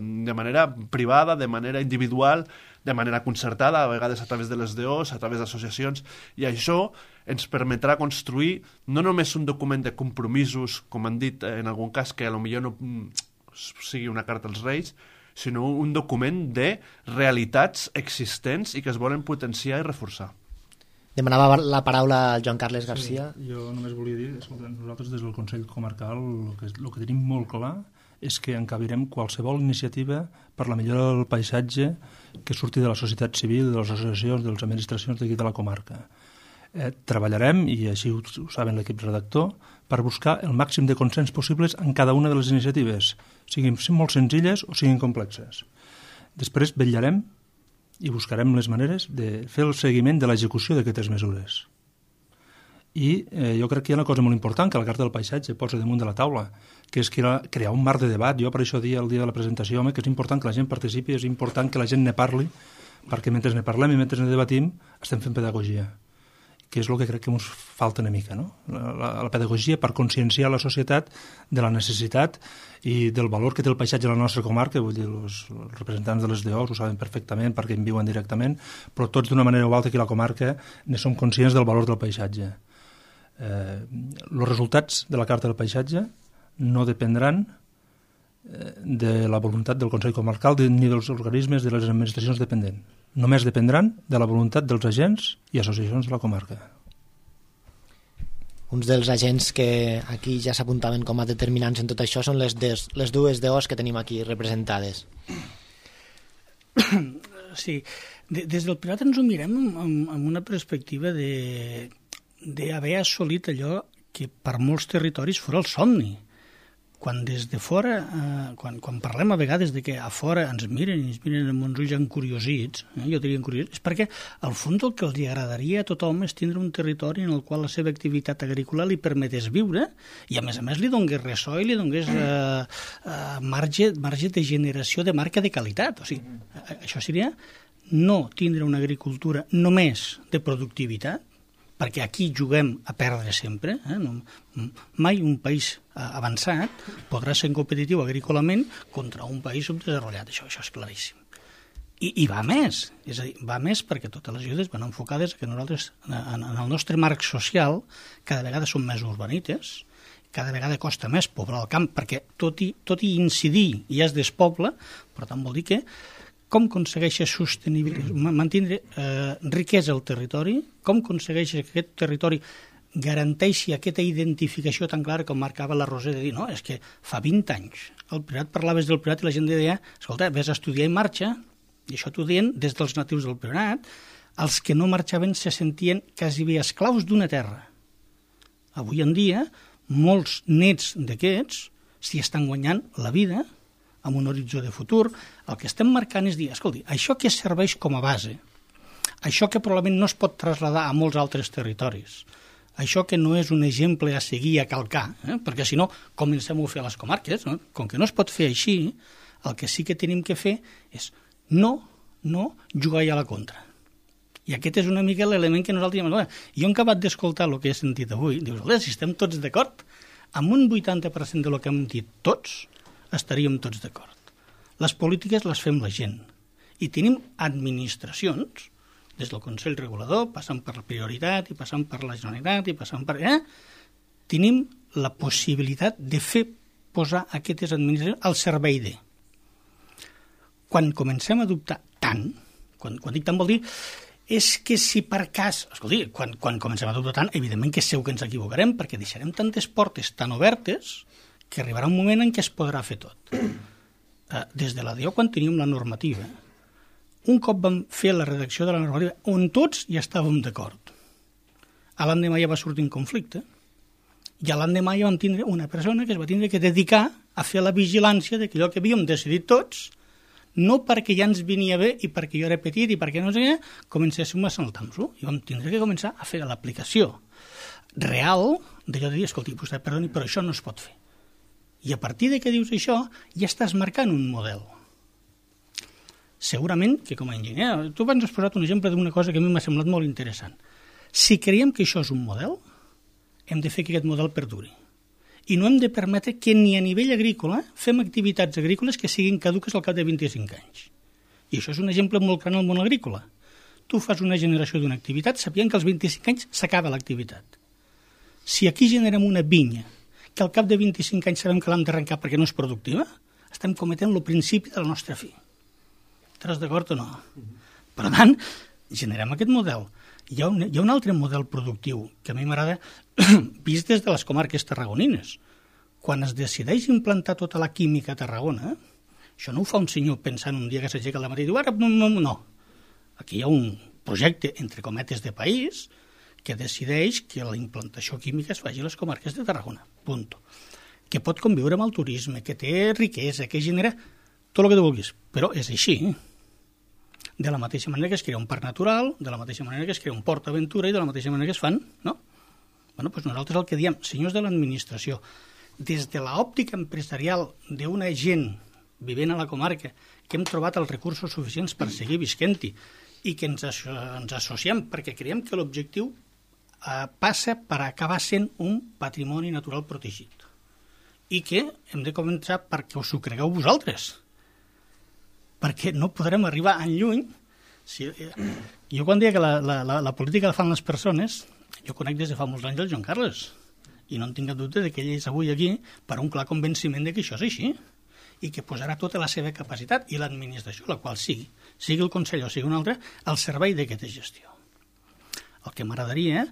S5: privada, de manera individual, de manera concertada, a vegades a través de les DOs, a través d'associacions, i això ens permetrà construir no només un document de compromisos, com han dit en algun cas, que potser no sigui una carta als Reis, sinó un document de realitats existents i que es volen potenciar i reforçar.
S1: Demanava la paraula al Joan Carles Garcia.
S3: Sí, jo només volia dir, escolta, nosaltres des del Consell Comarcal el que tenim molt clar és que encabirem qualsevol iniciativa per la millora del paisatge que surti de la societat civil, de les associacions, de les administracions d'aquí de la comarca. Treballarem, i així ho saben l'equip redactor, per buscar el màxim de consens possibles en cada una de les iniciatives, siguin molt senzilles o siguin complexes. Després vetllarem i buscarem les maneres de fer el seguiment de l'execució d'aquestes mesures. I jo crec que hi ha una cosa molt important que la Carta del Paisatge posa damunt de la taula, que és crear un marc de debat. Jo per això dia el dia de la presentació, home, que és important que la gent participi, és important que la gent ne parli, perquè mentre ne parlem i mentre ne debatim estem fent pedagogia, que és el que crec que ens falta una mica, no? La pedagogia per conscienciar la societat de la necessitat i del valor que té el paisatge a la nostra comarca. Vull dir, els representants de les DOs ho saben perfectament perquè en viuen directament, però tots d'una manera o altra aquí a la comarca ne som conscients del valor del paisatge. Els resultats de la Carta del Paisatge no dependran de la voluntat del Consell Comarcal ni dels organismes de les administracions dependents. Només dependran de la voluntat dels agents i associacions de la comarca.
S1: Uns dels agents que aquí ja s'apuntaven com a determinants en tot això són les dues DOs que tenim aquí representades.
S7: Sí, des del Priorat ens ho mirem amb una perspectiva d'haver assolit allò que per molts territoris fora el somni. Quan des de fora, quan parlem a vegades de que a fora ens miren amb uns ulls encuriosits, jo diria encuriosits, és perquè al fons el que els agradaria a tothom és tindre un territori en el qual la seva activitat agrícola li permetés viure i a més li donés ressò i li donés marge de generació de marca de qualitat. O sigui, això seria no tindre una agricultura només de productivitat, perquè aquí juguem a perdre sempre. Mai un país avançat podrà ser competitiu agrícolament contra un país subdesenvolupat. Això és claríssim. I va més, és a dir, va més perquè totes les ajudes van enfocades que nosaltres, en el nostre marc social, cada vegada som més urbanites, cada vegada costa més poblar el camp, perquè tot i incidir ja es despobla, per tant vol dir que com aconsegueixes mantenir riquesa al territori, com aconsegueixes que aquest territori garanteixi aquesta identificació tan clara com marcava la Roser de dir, no, és que fa 20 anys al Priorat parlaves del Priorat i la gent deia, escolta, vés a estudiar i marxa, i això t'ho deien des dels natius del Priorat, els que no marxaven se sentien quasi bé esclaus d'una terra. Avui en dia, molts nets d'aquests s'hi estan guanyant la vida amb un horitzó de futur. El que estem marcant és dir, escolti, això que serveix com a base, això que probablement no es pot traslladar a molts altres territoris, això que no és un exemple a seguir, a calcar, perquè si no comencem a fer a les comarques, no? Com que no es pot fer així, el que sí que tenim que fer és no jugar a la contra. I aquest és una mica l'element que nosaltres diem. Jo he acabat d'escoltar el que he sentit avui, dius, si estem tots d'acord, amb un 80% del que hem dit tots, estaríem tots d'acord. Les polítiques les fem la gent. I tenim administracions, des del Consell Regulador, passant per la prioritat, i passant per la Generalitat, i passant per... Tenim la possibilitat de fer posar aquestes administracions al servei de. Quan comencem a dubtar tant, quan dic tant vol dir, és que si per cas... Escolti, quan comencem a dubtar tant, evidentment que segur que ens equivocarem, perquè deixarem tantes portes tan obertes que arribarà un moment en què es podrà fer tot. Des de la DO, quan teníem la normativa, un cop vam fer la redacció de la normativa, on tots ja estàvem d'acord. A l'endemà ja va sortir un conflicte, i a l'endemà ja vam tindre una persona que es va tindre que dedicar a fer la vigilància de que allò que havíem decidit tots, no perquè ja ens venia bé i perquè jo era petit i perquè no sé què, comencéssim a saltar-nos-ho. I vam tindre que començar a fer l'aplicació real d'allò de dir, escolti, vostè perdoni, però això no es pot fer. I a partir de que dius això, ja estàs marcant un model. Segurament que com a enginyer, tu abans has posat un exemple d'una cosa que a mi m'ha semblat molt interessant. Si creiem que això és un model, hem de fer que aquest model perduri. I no hem de permetre que ni a nivell agrícola fem activitats agrícoles que siguin caduques al cap de 25 anys. I això és un exemple molt gran al món agrícola. Tu fas una generació d'una activitat sabent que als 25 anys s'acaba l'activitat. Si aquí generem una vinya que al cap de 25 anys sabem que l'hem d'arrencar perquè no és productiva, estem cometent el principi de la nostra fi. Estàs d'acord o no? Per tant, generem aquest model. Hi ha un altre model productiu que a mi m'agrada vist des de les comarques tarragonines. Quan es decideix implantar tota la química a Tarragona, això no ho fa un senyor pensant un dia que s'aixeca al matí i diu, ara no. Aquí hi ha un projecte, entre cometes, de país que decideix que la implantació química es faci a les comarques de Tarragona, punt. Que pot conviure amb el turisme, que té riquesa, que genera tot el que tu vulguis, però és així. De la mateixa manera que es crea un parc natural, de la mateixa manera que es crea un port aventura i de la mateixa manera que es fan, no? Bueno, doncs nosaltres el que diem, senyors de l'administració, des de l'òptica empresarial d'una gent vivint a la comarca, que hem trobat els recursos suficients per seguir visquent-hi i que ens associem perquè creiem que l'objectiu passa per acabar sent un patrimoni natural protegit i que hem de començar perquè us ho cregueu vosaltres, perquè no podrem arribar enlluny. Jo quan deia que la política la fan les persones, jo conec des de fa molts anys el Joan Carles i no en tinc cap dubte de que ell és avui aquí per un clar convenciment de que això és així i que posarà tota la seva capacitat i l'administració, la qual sigui el Consell o sigui un altre, al servei d'aquesta gestió. El que m'agradaria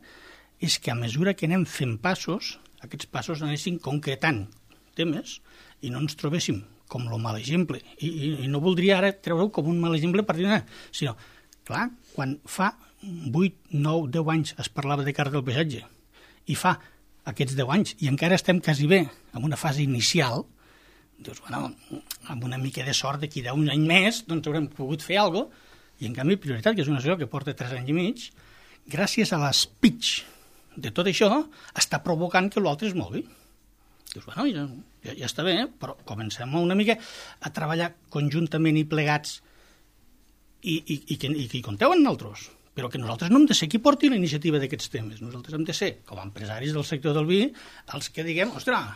S7: és que a mesura que anem fent passos, aquests passos anessin concretant temes i no ens trobéssim com el mal exemple. I no voldria ara treure-ho com un mal exemple per dir sinó, clar, quan fa 8, 9, 10 anys es parlava de carta del paisatge i fa aquests 10 anys i encara estem quasi bé en una fase inicial, dius, bueno, amb una mica de sort d'aquí d'un any més doncs haurem pogut fer alguna cosa, i en canvi Prioritat, que és una associació que porta 3 anys i mig, gràcies a l'espitx de tot això, està provocant que l'altre es mogui. Dius, bueno, ja està bé, però comencem una mica a treballar conjuntament i plegats i que compteu amb nosaltres, però que nosaltres no hem de ser qui porti la iniciativa d'aquests temes. Nosaltres hem de ser, com a empresaris del sector del vi, els que diguem, ostres,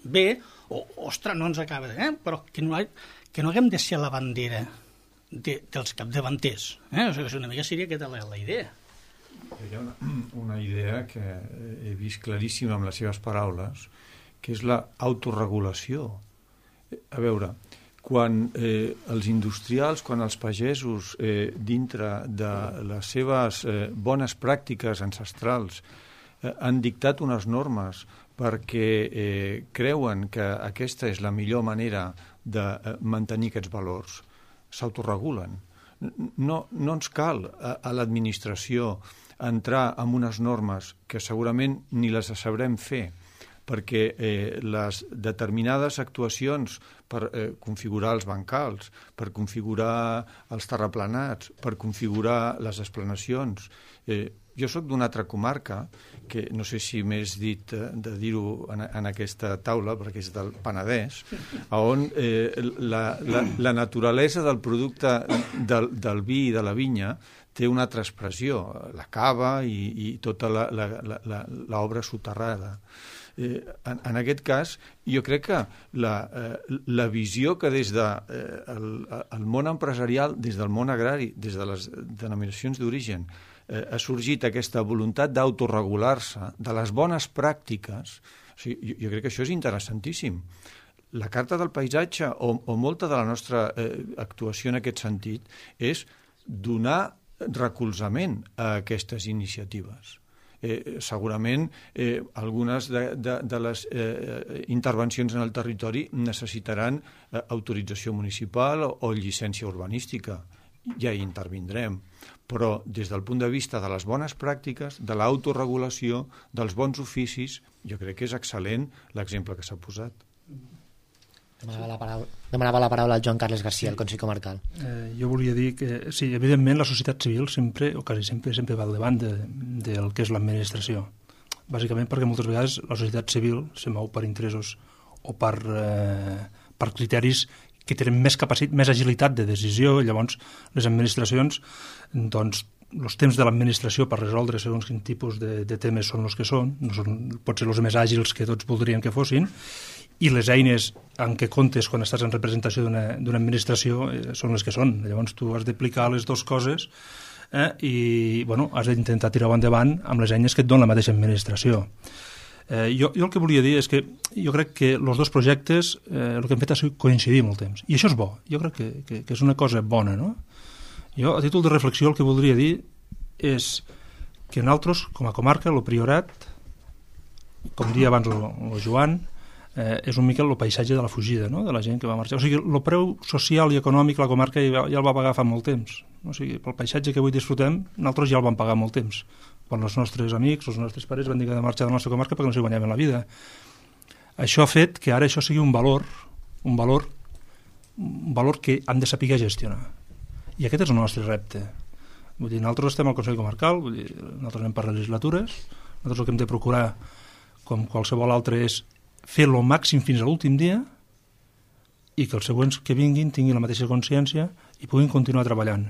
S7: bé, o ostres, no ens acaba de... però que no haguem de ser la bandera dels capdavanters. O sigui, una mica seria aquesta la idea.
S8: Hi ha una idea que he vist claríssima amb les seves paraules, que és l'autoregulació. A veure, quan els industrials, quan els pagesos, dintre de les seves bones pràctiques ancestrals, han dictat unes normes perquè creuen que aquesta és la millor manera de mantenir aquests valors, s'autoregulen. No ens cal a l'administració entrar en unes normes que segurament ni les sabrem fer, perquè les determinades actuacions per configurar els bancals, per configurar els terraplenats, per configurar les esplanacions. Jo sóc d'una altra comarca, que no sé si m'és dit de dir-ho en aquesta taula, perquè és del Penedès, on la naturalesa del producte del vi i de la vinya té una altra expressió, la cava i tota l'obra soterrada. En aquest cas, jo crec que la visió que des del món empresarial, des del món agrari, des de les denominacions d'origen, ha sorgit aquesta voluntat d'autoregular-se, de les bones pràctiques, o sigui, jo crec que això és interessantíssim. La Carta del Paisatge, o molta de la nostra actuació en aquest sentit, és donar recolzament a aquestes iniciatives. Segurament algunes de les intervencions en el territori necessitaran autorització municipal o llicència urbanística. Ja hi intervindrem. Però des del punt de vista de les bones pràctiques, de l'autoregulació, dels bons oficis, jo crec que és excel·lent l'exemple que s'ha posat.
S1: Demanava la paraula al Joan Carles García, el Consell Comarcal.
S3: Jo volia dir que, sí, evidentment la societat civil sempre, o quasi sempre va al davant del que és l'administració. Bàsicament perquè moltes vegades la societat civil se mou per interessos o per criteris que tenen més capacitat, més agilitat de decisió, i llavors les administracions, doncs, els temps de l'administració per resoldre segons quin tipus de temes són els que són, no són potser els més àgils que tots voldrien que fossin, i les eines en què comptes quan estàs en representació d'una administració són les que són. Llavors tu has d'aplicar les dues coses i has d'intentar tirar-ho endavant amb les eines que et dona la mateixa administració. Jo el que volia dir és que jo crec que els dos projectes el que hem fet és coincidir molt temps, i això és bo, jo crec que és una cosa bona, no? Jo, a títol de reflexió, el que voldria dir és que nosaltres, com a comarca, el Priorat, com dia abans el Joan, és un mica el paisatge de la fugida, no?, de la gent que va marxar. O sigui, el preu social i econòmic la comarca ja el va pagar fa molt temps. O sigui, pel paisatge que avui disfrutem, nosaltres ja el vam pagar molt temps. quan els nostres amics, els nostres pares van dir que de marxar de la nostra comarca perquè no s'hi guanyaven la vida. Això ha fet que ara això sigui un valor que han de saber gestionar. I aquest és el nostre repte. Vull dir, nosaltres estem al Consell Comarcal, vull dir, nosaltres anem per legislatures, nosaltres el que hem de procurar, com qualsevol altre, és fer el màxim fins a l'últim dia i que els següents que vinguin tinguin la mateixa consciència i puguin continuar treballant.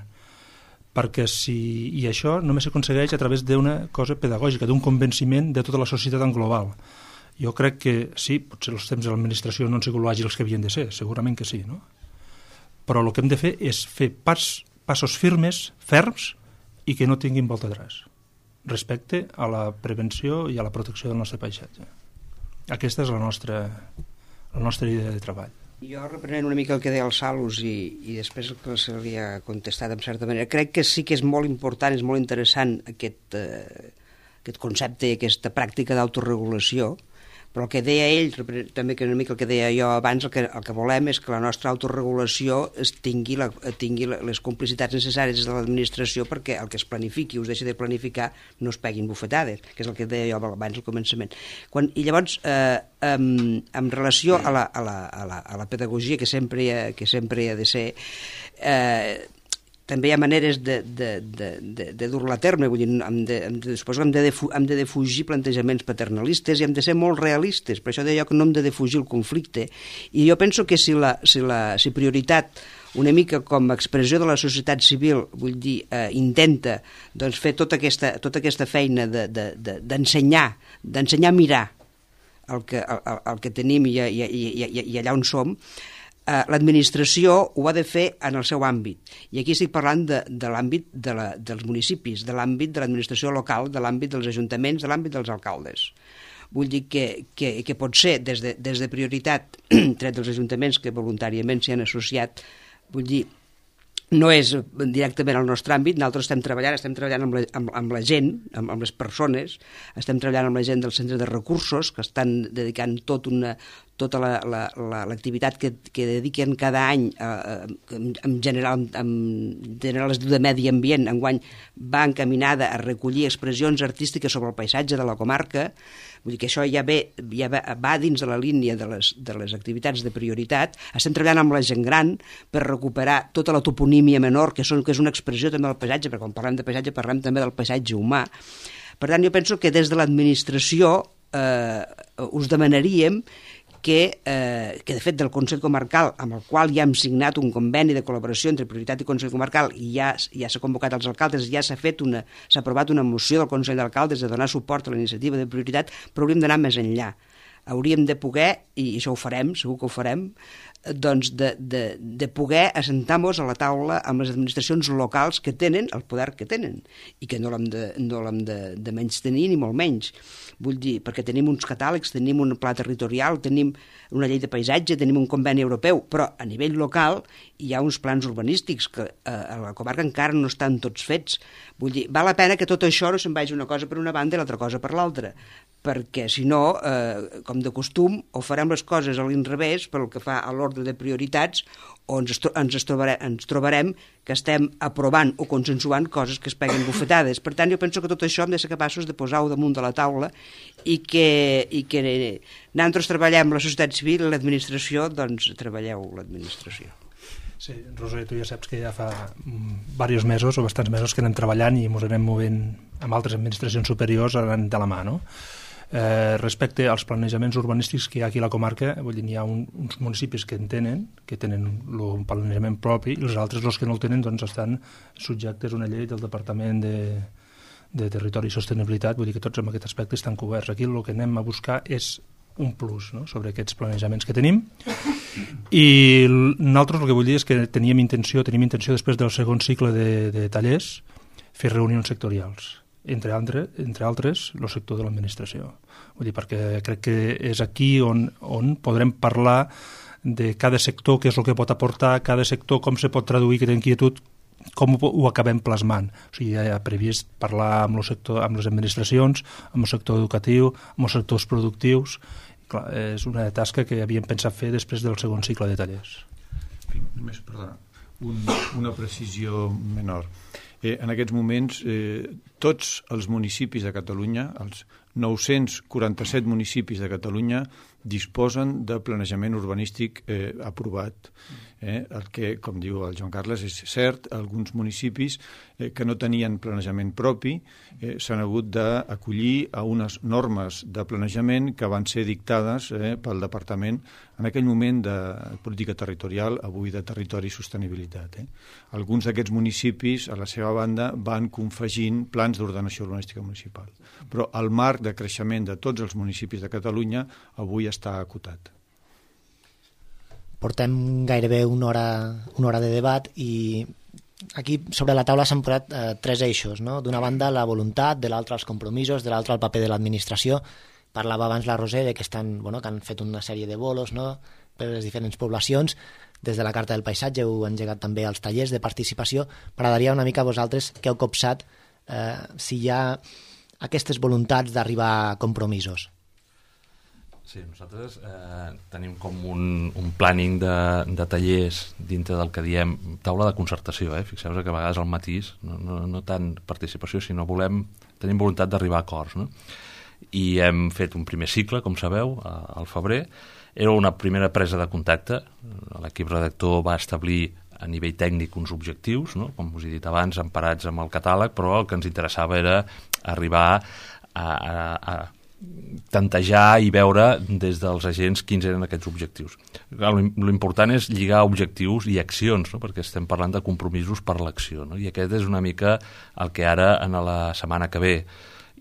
S3: Perquè i això només s'aconsegueix a través d'una cosa pedagògica, d'un convenciment de tota la societat en global. Jo crec que sí, potser els temps de l'administració no han sigut àgils que havien de ser, segurament que sí, no? Però el que hem de fer és fer passos firmes, ferms, i que no tinguin volta atrás, respecte a la prevenció i a la protecció del nostre paisatge. Aquesta és la nostra idea de treball.
S2: Jo, reprenent una mica el que deia el Salus i després el que se li ha contestat en certa manera, crec que sí que és molt important, és molt interessant aquest concepte i aquesta pràctica d'autoregulació, però el que deia ell, també que una mica el que deia jo abans, el que volem és que la nostra autoregulació tingui les complicitats necessàries de l'administració perquè el que es planifiqui o es deixi de planificar no es peguin bufetades, que és el que deia jo abans al començament. I llavors, en relació a la pedagogia que sempre hi ha de ser, també hi ha maneres de dur-la a terme, vull dir, suposo que hem de defugir plantejaments paternalistes i hem de ser molt realistes, per això deia jo que no hem de defugir el conflicte, i jo penso que si prioritat una mica com a expressió de la societat civil, vull dir, intenta doncs, fer tota aquesta feina d'ensenyar a mirar el que tenim i allà on som, l'administració ho ha de fer en el seu àmbit. I aquí estic parlant de l'àmbit dels municipis, de l'àmbit de l'administració local, de l'àmbit dels ajuntaments, de l'àmbit dels alcaldes. Vull dir que pot ser des de prioritat, tret dels ajuntaments que voluntàriament s'hi han associat, vull dir, no és directament al nostre àmbit, nosaltres estem treballant amb la gent, amb les persones, estem treballant amb la gent del centre de recursos, que estan dedicant tota l'activitat que dediquen cada any en general es diu de medi ambient, enguany va encaminada a recollir expressions artístiques sobre el paisatge de la comarca. Vull dir que això ja va dins de la línia de les activitats de prioritat. Estem treballant amb la gent gran per recuperar tota la toponímia menor, que és una expressió també del paisatge, perquè quan parlem de paisatge parlem també del paisatge humà. Per tant, jo penso que des de l'administració us demanaríem que de fet del Consell Comarcal, amb el qual ja hem signat un conveni de col·laboració entre Prioritat i Consell Comarcal, i ja s'ha convocat als alcaldes, ja s'ha aprovat una moció del Consell d'Alcaldes de donar suport a la iniciativa de Prioritat, però hauríem d'anar més enllà. Hauríem de poder, i això ho farem, segur que ho farem, doncs de poder assentar-nos a la taula amb les administracions locals que tenen el poder que tenen i que no l'hem de menystenir ni molt menys. Vull dir, perquè tenim uns catàlegs, tenim un pla territorial, tenim una llei de paisatge, tenim un conveni europeu, però a nivell local hi ha uns plans urbanístics que a la comarca encara no estan tots fets. Vull dir, val la pena que tot això no se'n vagi una cosa per una banda i l'altra cosa per l'altra, perquè si no, com de costum, o farem les coses a l'inrevés pel que fa a l'ordre de prioritats, o ens trobarem que estem aprovant o consensuant coses que es peguen bufetades. Per tant, jo penso que tot això hem de ser capaços de posar-ho damunt de la taula i que nosaltres treballem la societat civil i l'administració, doncs treballeu l'administració.
S3: Sí, Roser, tu ja saps que ja fa diversos mesos o bastants mesos que anem treballant i ens anem movent amb altres administracions superiors anant de la mà, no? Respecte als planejaments urbanístics que hi ha aquí a la comarca, vull dir, hi ha uns municipis que tenen el planejament propi i els altres, els que no el tenen, doncs estan subjectes a una llei del Departament de Territori i Sostenibilitat, vull dir que tots en aquest aspecte estan coberts. Aquí el que anem a buscar és un plus, no?, sobre aquests planejaments que tenim, i nosaltres el que vull dir és que tenim intenció després del segon cicle de tallers fer reunions sectorials, entre altres el sector de l'administració. Vull dir, perquè crec que és aquí on podrem parlar de cada sector, què és el que pot aportar, cada sector, com se pot traduir aquesta inquietud, com ho acabem plasmant. O sigui, ja hi ha previst parlar amb les administracions, amb el sector educatiu, amb els sectors productius. Clar, és una tasca que havíem pensat fer després del segon cicle de tallers.
S8: Només, perdona, una precisió menor. En aquests moments, tots els municipis de Catalunya, els 947 municipis de Catalunya, disposen de planejament urbanístic aprovat. El que, com diu el Joan Carles, és cert, alguns municipis que no tenien planejament propi s'han hagut d'acollir a unes normes de planejament que van ser dictades pel Departament en aquell moment de política territorial, avui de territori i sostenibilitat. Alguns d'aquests municipis, a la seva banda, van confegint plans d'ordenació urbanística municipal. Però el marc de creixement de tots els municipis de Catalunya avui està acotat.
S1: Portem gairebé una hora de debat i aquí sobre la taula s'han posat tres eixos, no? D'una banda la voluntat, de l'altra els compromisos, de l'altra el paper de l'administració. Parlava abans la Roser que que han fet una sèrie de bolos, no?, per les diferents poblacions. Des de la Carta del Paisatge heu engegat també els tallers de participació. M'agradaria una mica a vosaltres que heu copsat si hi ha aquestes voluntats d'arribar a compromisos.
S4: Sí, nosaltres tenim com un planning de tallers dintre del que diem taula de concertació. Fixeu-vos que a vegades el matís, no tant participació, sinó tenim voluntat d'arribar a acords, no? I hem fet un primer cicle, com sabeu, al febrer. Era una primera presa de contacte. L'equip redactor va establir a nivell tècnic uns objectius, no?, com us he dit abans, emparats amb el catàleg, però el que ens interessava era arribar a tantejar i veure des dels agents quins eren aquests objectius. L'important és lligar objectius i accions, no?, perquè estem parlant de compromisos per l'acció, no? I aquest és una mica el que ara, en la setmana que ve,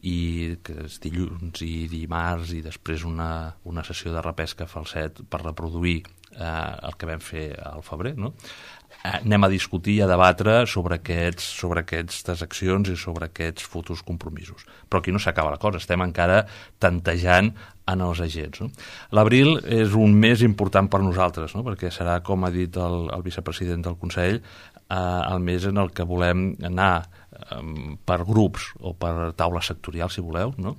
S4: i que és dilluns i dimarts i després una sessió de repesca falset per reproduir el que vam fer al febrer, no? Anem a discutir i a debatre sobre aquestes accions i sobre aquests futurs compromisos. Però aquí no s'acaba la cosa, estem encara tantejant en els agents, no? L'abril és un mes important per nosaltres, no?, perquè serà, com ha dit el vicepresident del Consell, el mes en el que volem anar per grups o per taula sectorial, si voleu, no?,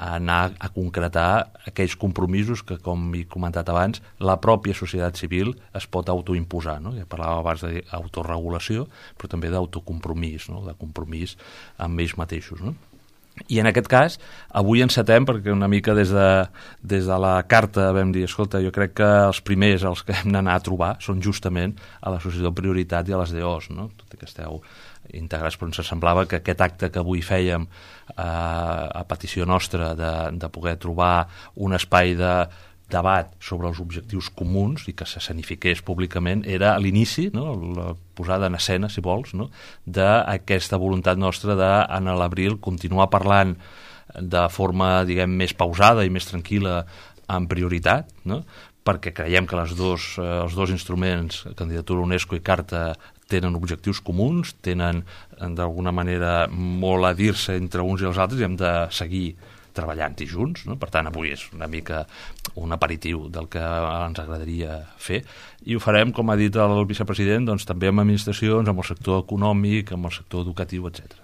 S4: anar a concretar aquells compromisos que, com he comentat abans, la pròpia societat civil es pot autoimposar, no? Ja parlàvem abans d'autoregulació, però també d'autocompromís, no?, de compromís amb ells mateixos, no? I en aquest cas, avui encetem, perquè una mica des de la carta vam dir, escolta, jo crec que els primers els que hem d'anar a trobar són justament a l'Associació Prioritat i a les DOs, no?, tot i que esteu integrats, però ens semblava que aquest acte que avui fèiem a petició nostra de poder trobar un espai de debat sobre els objectius comuns i que s'escenifiqués públicament era a l'inici, no?, la posada en escena, si vols, no?, d'aquesta voluntat nostra de, en l'abril, continuar parlant de forma, diguem, més pausada i més tranquil·la en prioritat, no?, perquè creiem que els dos instruments, candidatura UNESCO i Carta, tenen objectius comuns, tenen d'alguna manera molt a dir-se entre uns i els altres i hem de seguir treballant-hi junts, no? Per tant, avui és una mica un aperitiu del que ens agradaria fer i ho farem, com ha dit el vicepresident, doncs, també amb administracions, amb el sector econòmic, amb el sector educatiu, etc.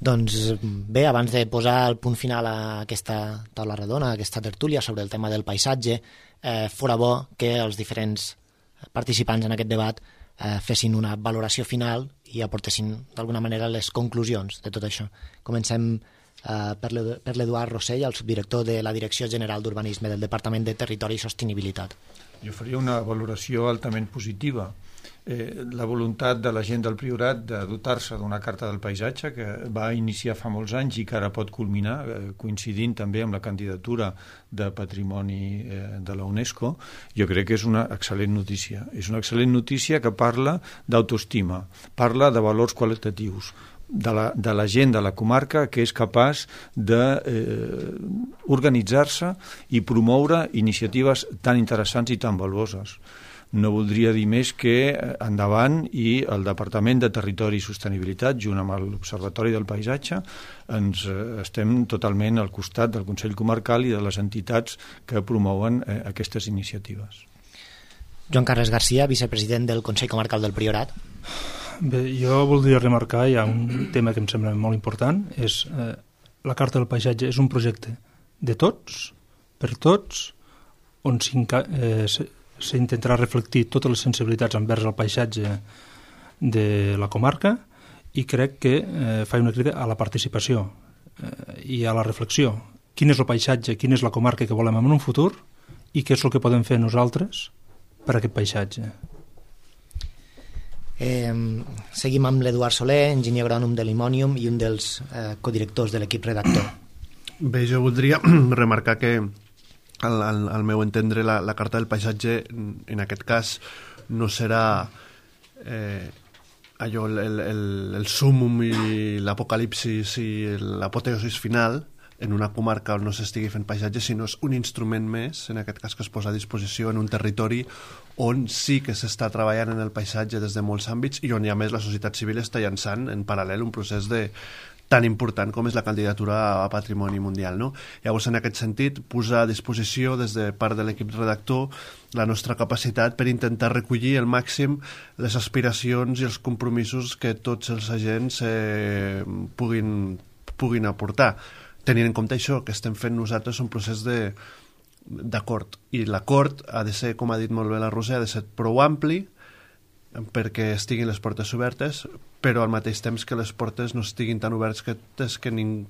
S1: Doncs bé, abans de posar el punt final a aquesta taula redona, a aquesta tertúlia sobre el tema del paisatge, fora bo que els diferents participants en aquest debat fessin una valoració final i aportessin d'alguna manera les conclusions de tot això. Comencem per l'Eduard Rossell, el subdirector de la Direcció General d'Urbanisme del Departament de Territori i Sostenibilitat.
S8: Jo faria una valoració altament positiva. La voluntat de la gent del Priorat de dotar-se d'una carta del paisatge que va iniciar fa molts anys i que ara pot culminar, coincidint també amb la candidatura de Patrimoni de la UNESCO, jo crec que és una excel·lent notícia. És una excel·lent notícia que parla d'autoestima, parla de valors qualitatius, de la gent de la comarca que és capaç d'organitzar-se i promoure iniciatives tan interessants i tan valuoses. No voldria dir més que endavant i el Departament de Territori i Sostenibilitat, junt amb l'Observatori del Paisatge, ens estem totalment al costat del Consell Comarcal i de les entitats que promouen aquestes iniciatives.
S1: Joan Carles Garcia, vicepresident del Consell Comarcal del Priorat.
S3: Bé, jo voldria remarcar, hi ha un tema que em sembla molt important, és la Carta del Paisatge és un projecte de tots, per tots, on s'intentarà reflectir totes les sensibilitats envers el paisatge de la comarca i crec que fa una crida a la participació i a la reflexió. Quin és el paisatge, quina és la comarca que volem en un futur i què és el que podem fer nosaltres per a aquest paisatge.
S1: Seguim amb l'Eduard Soler, enginyer agrònom de l'Imònium i un dels codirectors de l'equip redactor.
S5: Bé, jo voldria remarcar que al meu entendre la Carta del Paisatge en aquest cas no serà allò el súmum i l'apocalipsis i l'apoteosis final en una comarca on no s'estigui fent paisatge, sinó és un instrument més, en aquest cas que es posa a disposició en un territori on sí que s'està treballant en el paisatge des de molts àmbits i on a més la societat civil està llançant en paral·lel un procés tan important com és la candidatura a Patrimoni Mundial, no? Llavors, en aquest sentit, posar a disposició des de part de l'equip redactor la nostra capacitat per intentar recollir al màxim les aspiracions i els compromisos que tots els agents puguin aportar. Tenint en compte això, que estem fent nosaltres un procés d'acord. I l'acord ha de ser, com ha dit molt bé la Roser, ha de ser prou ampli perquè estiguin les portes obertes, però al mateix temps que les portes no estiguin tan obertes que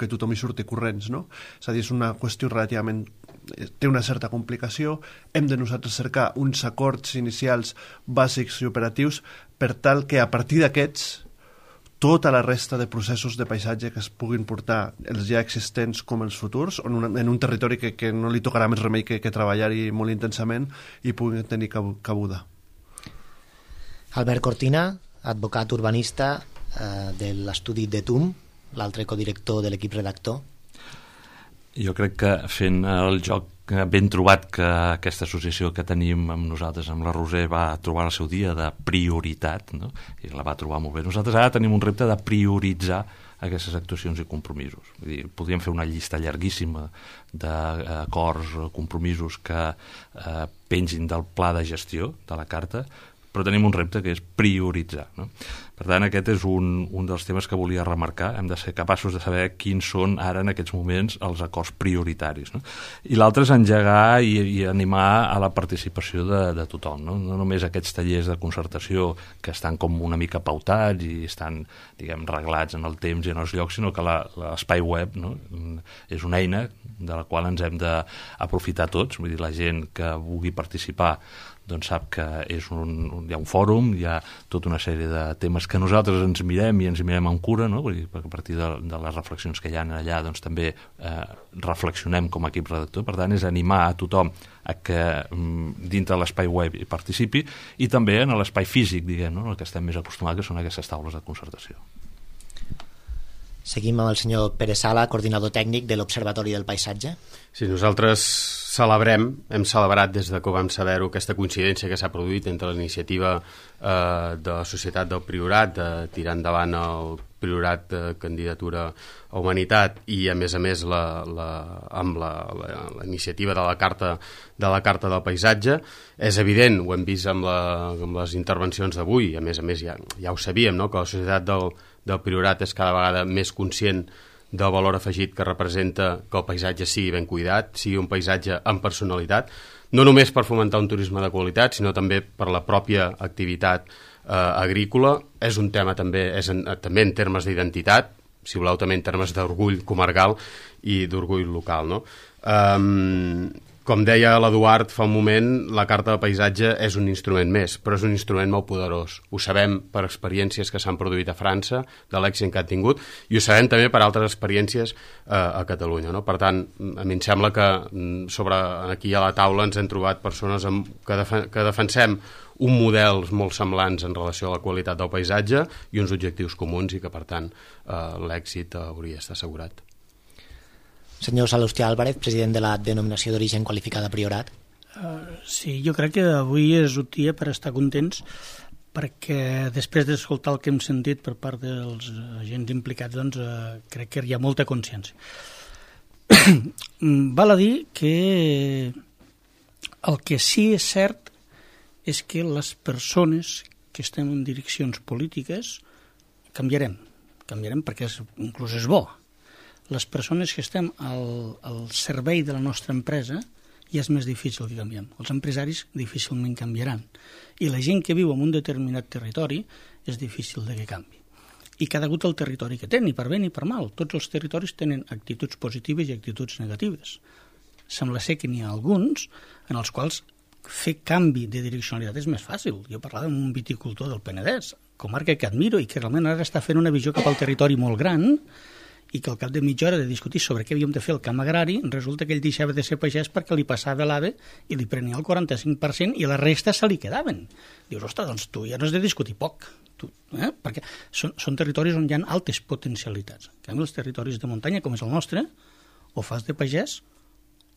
S5: tothom hi surti corrents, no? És a dir, és una qüestió relativament... té una certa complicació, hem de nosaltres cercar uns acords inicials bàsics i operatius per tal que a partir d'aquests tota la resta de processos de paisatge que es puguin portar, els ja existents com els futurs, en un territori que no li tocarà més remei que treballar-hi molt intensament i puguin tenir cabuda.
S1: Albert Cortina, advocat urbanista de l'estudi de TUM, l'altre codirector de l'equip redactor.
S4: Jo crec que fent el joc ben trobat que aquesta associació que tenim amb nosaltres, amb la Roser, va trobar el seu dia de prioritat, no? I la va trobar molt bé. Nosaltres ara tenim un repte de prioritzar aquestes actuacions i compromisos. Vull dir, podríem fer una llista llarguíssima d'acords, compromisos que pengin del pla de gestió de la carta, però tenim un repte que és prioritzar, no? Per tant, aquest és un dels temes que volia remarcar. Hem de ser capaços de saber quins són ara en aquests moments els acords prioritaris, no? I l'altre és engegar i animar a la participació de tothom, no? No només aquests tallers de concertació que estan com una mica pautats i estan, diguem, reglats en el temps i en els llocs, sinó que l'espai web, no? És una eina de la qual ens hem d'aprofitar tots. Vull dir, la gent que vulgui participar doncs sap que hi ha un fòrum, hi ha tota una sèrie de temes que nosaltres ens mirem i ens mirem amb cura, no? Vull dir, perquè a partir de les reflexions que hi ha allà doncs també reflexionem com a equip redactor. Per tant, és animar a tothom a que dintre de l'espai web hi participi i també en l'espai físic, diguem, no? El que estem més acostumats, que són aquestes taules de concertació.
S1: Seguim amb el senyor Pere Sala, coordinador tècnic de l'Observatori del Paisatge.
S9: Sí, nosaltres hem celebrat des de que vam saber-ho aquesta coincidència que s'ha produït entre l'iniciativa de la Societat del Priorat de tirar endavant el Priorat de candidatura a Humanitat i a més amb la iniciativa de la Carta del Paisatge. És evident, ho hem vist amb les intervencions d'avui, a més ja ho sabíem, no? Que la Societat del Priorat és cada vegada més conscient del valor afegit que representa que el paisatge sigui ben cuidat, sigui un paisatge amb personalitat, no només per fomentar un turisme de qualitat, sinó també per la pròpia activitat agrícola. És un tema també en termes d'identitat, si voleu també en termes d'orgull comarcal i d'orgull local, no? Com deia l'Eduard fa un moment, la Carta del Paisatge és un instrument més, però és un instrument molt poderós. Ho sabem per experiències que s'han produït a França, de l'èxit que han tingut, i ho sabem també per altres experiències a Catalunya, no? Per tant, a mi em sembla que aquí a la taula ens hem trobat persones que defensem un models molt semblants en relació a la qualitat del paisatge i uns objectius comuns i que, per tant, l'èxit hauria d'estar assegurat.
S1: Senyor Salustià Álvarez, president de la denominació d'origen qualificada Priorat.
S7: Sí, jo crec que avui és un dia per estar contents perquè després d'escoltar el que hem sentit per part dels agents implicats, doncs crec que hi ha molta consciència. Val a dir que el que sí és cert és que les persones que estem en direccions polítiques canviarem perquè inclús és bo. Les persones que estem al servei de la nostra empresa ja és més difícil que canviem. Els empresaris difícilment canviaran. I la gent que viu en un determinat territori és difícil de que canvi. i cada hagut el territori que té, ni per bé ni per mal. Tots els territoris tenen actituds positives i actituds negatives. Sembla ser que n'hi ha alguns en els quals fer canvi de direccionalitat és més fàcil. Jo parlava amb un viticultor del Penedès, comarca que admiro i que realment ara està fent una visió cap al territori molt gran i que al cap de mitja hora de discutir sobre què havíem de fer el camp agrari, resulta que ell deixava de ser pagès perquè li passava l'AVE i li prenia el 45% i la resta se li quedaven. Dius, ostres, doncs tu ja no has de discutir poc, perquè són territoris on hi ha altes potencialitats. En canvi, els territoris de muntanya, com és el nostre, o fas de pagès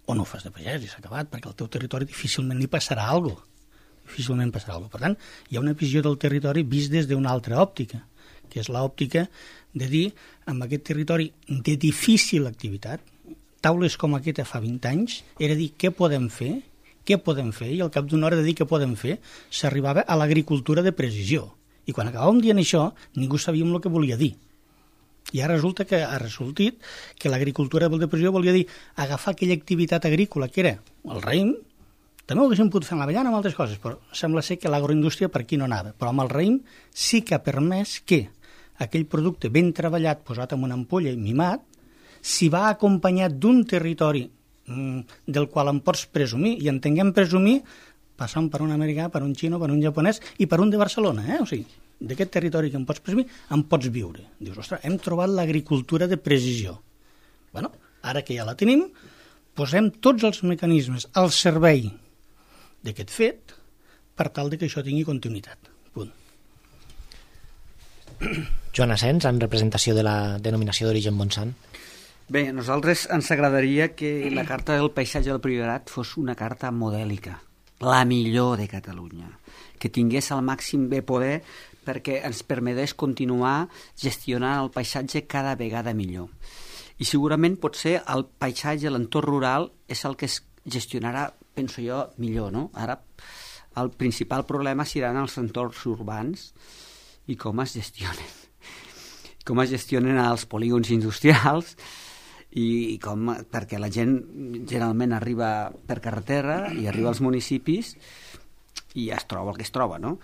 S7: o no ho fas de pagès i s'ha acabat, perquè al teu territori difícilment li passarà alguna cosa. Difícilment passarà alguna cosa. Per tant, hi ha una visió del territori vist des d'una altra òptica, que és l'òptica de dir, amb aquest territori de difícil activitat, taules com aquesta fa 20 anys, era dir què podem fer, i al cap d'una hora de dir què podem fer, s'arribava a l'agricultura de precisió. I quan acabàvem dient això, ningú sabíem el que volia dir. I ara resulta que ha resultat que l'agricultura de precisió volia dir agafar aquella activitat agrícola que era el raïm, també ho haguéssim pogut fer amb l'avellana, amb altres coses, però sembla ser que l'agroindústria per aquí no anava. Però amb el raïm sí que ha permès que aquell producte ben treballat, posat en una ampolla i mimat, si va acompanyat d'un territori del qual en pots presumir, i entenguem presumir, passant per un americà, per un xino, per un japonès i per un de Barcelona, o sigui, d'aquest territori que em pots presumir, en pots viure. Dius, ostres, hem trobat l'agricultura de precisió. Bueno, ara que ja la tenim, posem tots els mecanismes al servei d'aquest fet per tal de que això tingui continuïtat. Punt.
S1: Joan Asens, en representació de la denominació d'origen Montsant.
S6: Bé, a nosaltres ens agradaria que la carta del paisatge del Priorat fos una carta modèlica, la millor de Catalunya, que tingués el màxim de poder perquè ens permetés continuar gestionant el paisatge cada vegada millor. I segurament potser el paisatge, l'entorn rural, és el que es gestionarà, penso jo, millor, no? Ara el principal problema seran els entorns urbans i com es gestionen. Com es gestionen els polígons industrials i com, perquè la gent generalment arriba per carretera i arriba als municipis i ja es troba el que es troba, no?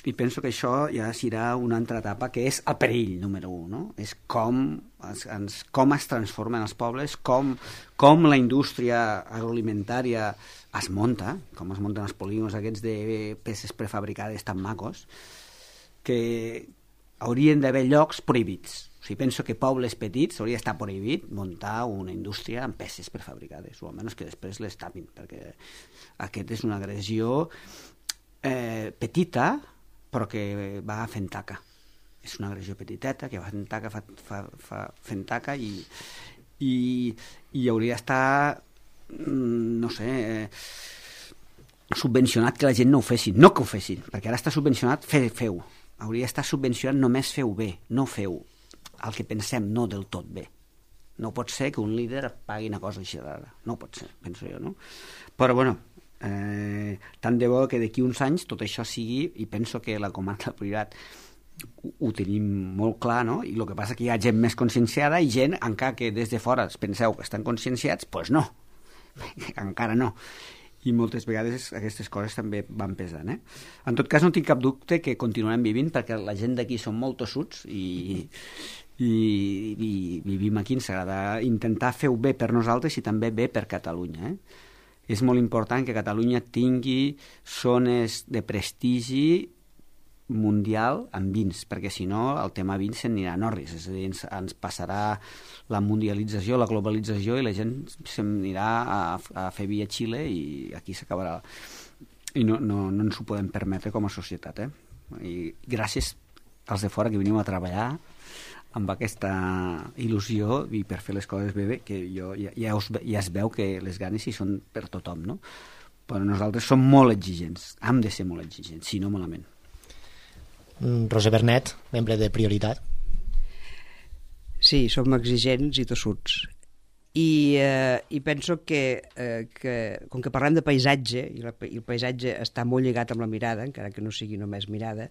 S6: I penso que això ja serà una altra etapa que és el perill número 1, no? És com es transformen els pobles, com la indústria agroalimentària es munta, com es munten els polígons aquests de peces prefabricades tan macos, que haurien d'haver llocs prohibits. O sigui, penso que pobles petits hauria d'estar prohibit muntar una indústria amb peces prefabricades, o almenys que després les tapin, perquè aquest és una agressió petita, però que va fent taca. És una agressió petiteta que va fent taca, fent taca i hauria d'estar, no sé, subvencionat que la gent no ho fessin. No que ho fessin, perquè ara està subvencionat feu. Hauria d'estar subvencionat només feu bé, no feu el que pensem, no del tot bé. No pot ser que un líder pagui una cosa així rara. No pot ser, penso jo, no? Però, bueno, tant de bo que d'aquí uns anys tot això sigui, i penso que la comarca del Priorat ho tenim molt clar, no? I el que passa que hi ha gent més conscienciada i gent, encara que des de fora penseu que estan conscienciats, doncs no, encara no. I moltes vegades aquestes coses també van pesant, En tot cas, no tinc cap dubte que continuarem vivint, perquè la gent d'aquí són molt tossuts i vivim aquí, ens agrada intentar fer-ho bé per nosaltres i també bé per Catalunya, És molt important que Catalunya tingui zones de prestigi mundial amb vins, perquè si no el tema vins se'n anirà a Norris, és a dir, ens passarà la mundialització, la globalització i la gent se'n anirà a fer vi a Xile i aquí s'acabarà. I no ens ho podem permetre com a societat, I gràcies als de fora que venim a treballar amb aquesta il·lusió i per fer les coses bé, que ja es veu que les ganes hi són per tothom, no? Però nosaltres som molt exigents, hem de ser molt exigents, si no malament.
S1: Roser Bernet, membre de Prioritat.
S2: Sí, som exigents i tossuts. I penso que com que parlem de paisatge, i el paisatge està molt lligat amb la mirada, encara que no sigui només mirada,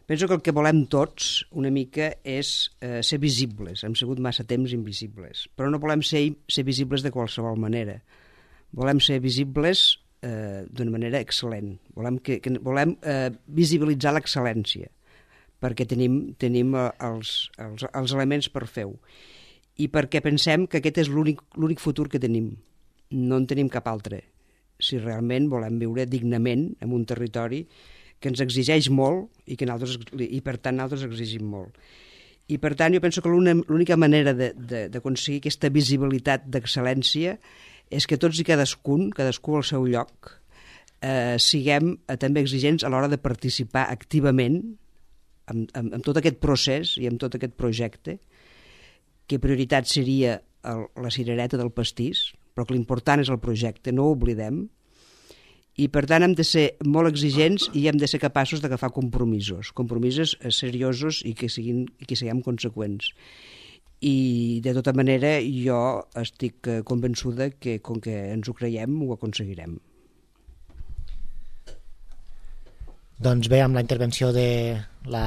S2: penso que el que volem tots una mica és ser visibles. Hem sigut massa temps invisibles, però no volem ser visibles de qualsevol manera. Volem ser visibles d'una manera excel·lent. Volem visibilitzar l'excel·lència. perquè tenim els elements per fer-ho. I perquè pensem que aquest és l'únic futur que tenim. No en tenim cap altre. Si realment volem viure dignament en un territori que ens exigeix molt i per tant nosaltres exigim molt. I per tant jo penso que l'única manera d'aconseguir aquesta visibilitat d'excel·lència és que tots i cadascú al seu lloc, siguem també exigents a l'hora de participar activament en tot aquest procés i en tot aquest projecte, que prioritat seria la cirereta del pastís, però que l'important és el projecte, no ho oblidem, i per tant hem de ser molt exigents i hem de ser capaços d'agafar compromisos seriosos i que siguem conseqüents. I de tota manera jo estic convençuda que com que ens ho creiem ho aconseguirem.
S1: Doncs bé, amb la intervenció de la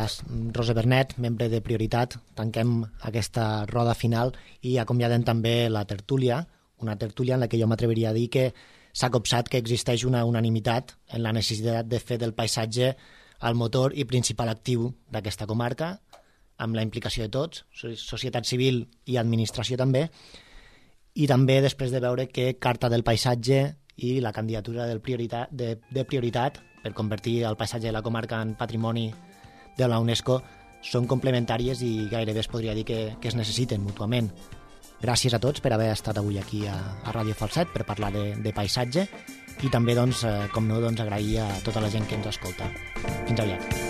S1: Rosa Bernet, membre de Prioritat, tanquem aquesta roda final i acomiadem també la tertúlia, una tertúlia en la que jo m'atreviria a dir que s'ha copsat que existeix una unanimitat en la necessitat de fer del paisatge el motor i principal actiu d'aquesta comarca, amb la implicació de tots, societat civil i administració també, i també després de veure que Carta del Paisatge i la candidatura de Prioritat per convertir el paisatge de la comarca en patrimoni de la UNESCO són complementàries i gairebé es podria dir que es necessiten mútuament. Gràcies a tots per haver estat avui aquí a Ràdio Falset per parlar de paisatge i també, com no, agrair a tota la gent que ens escolta. Fins aviat.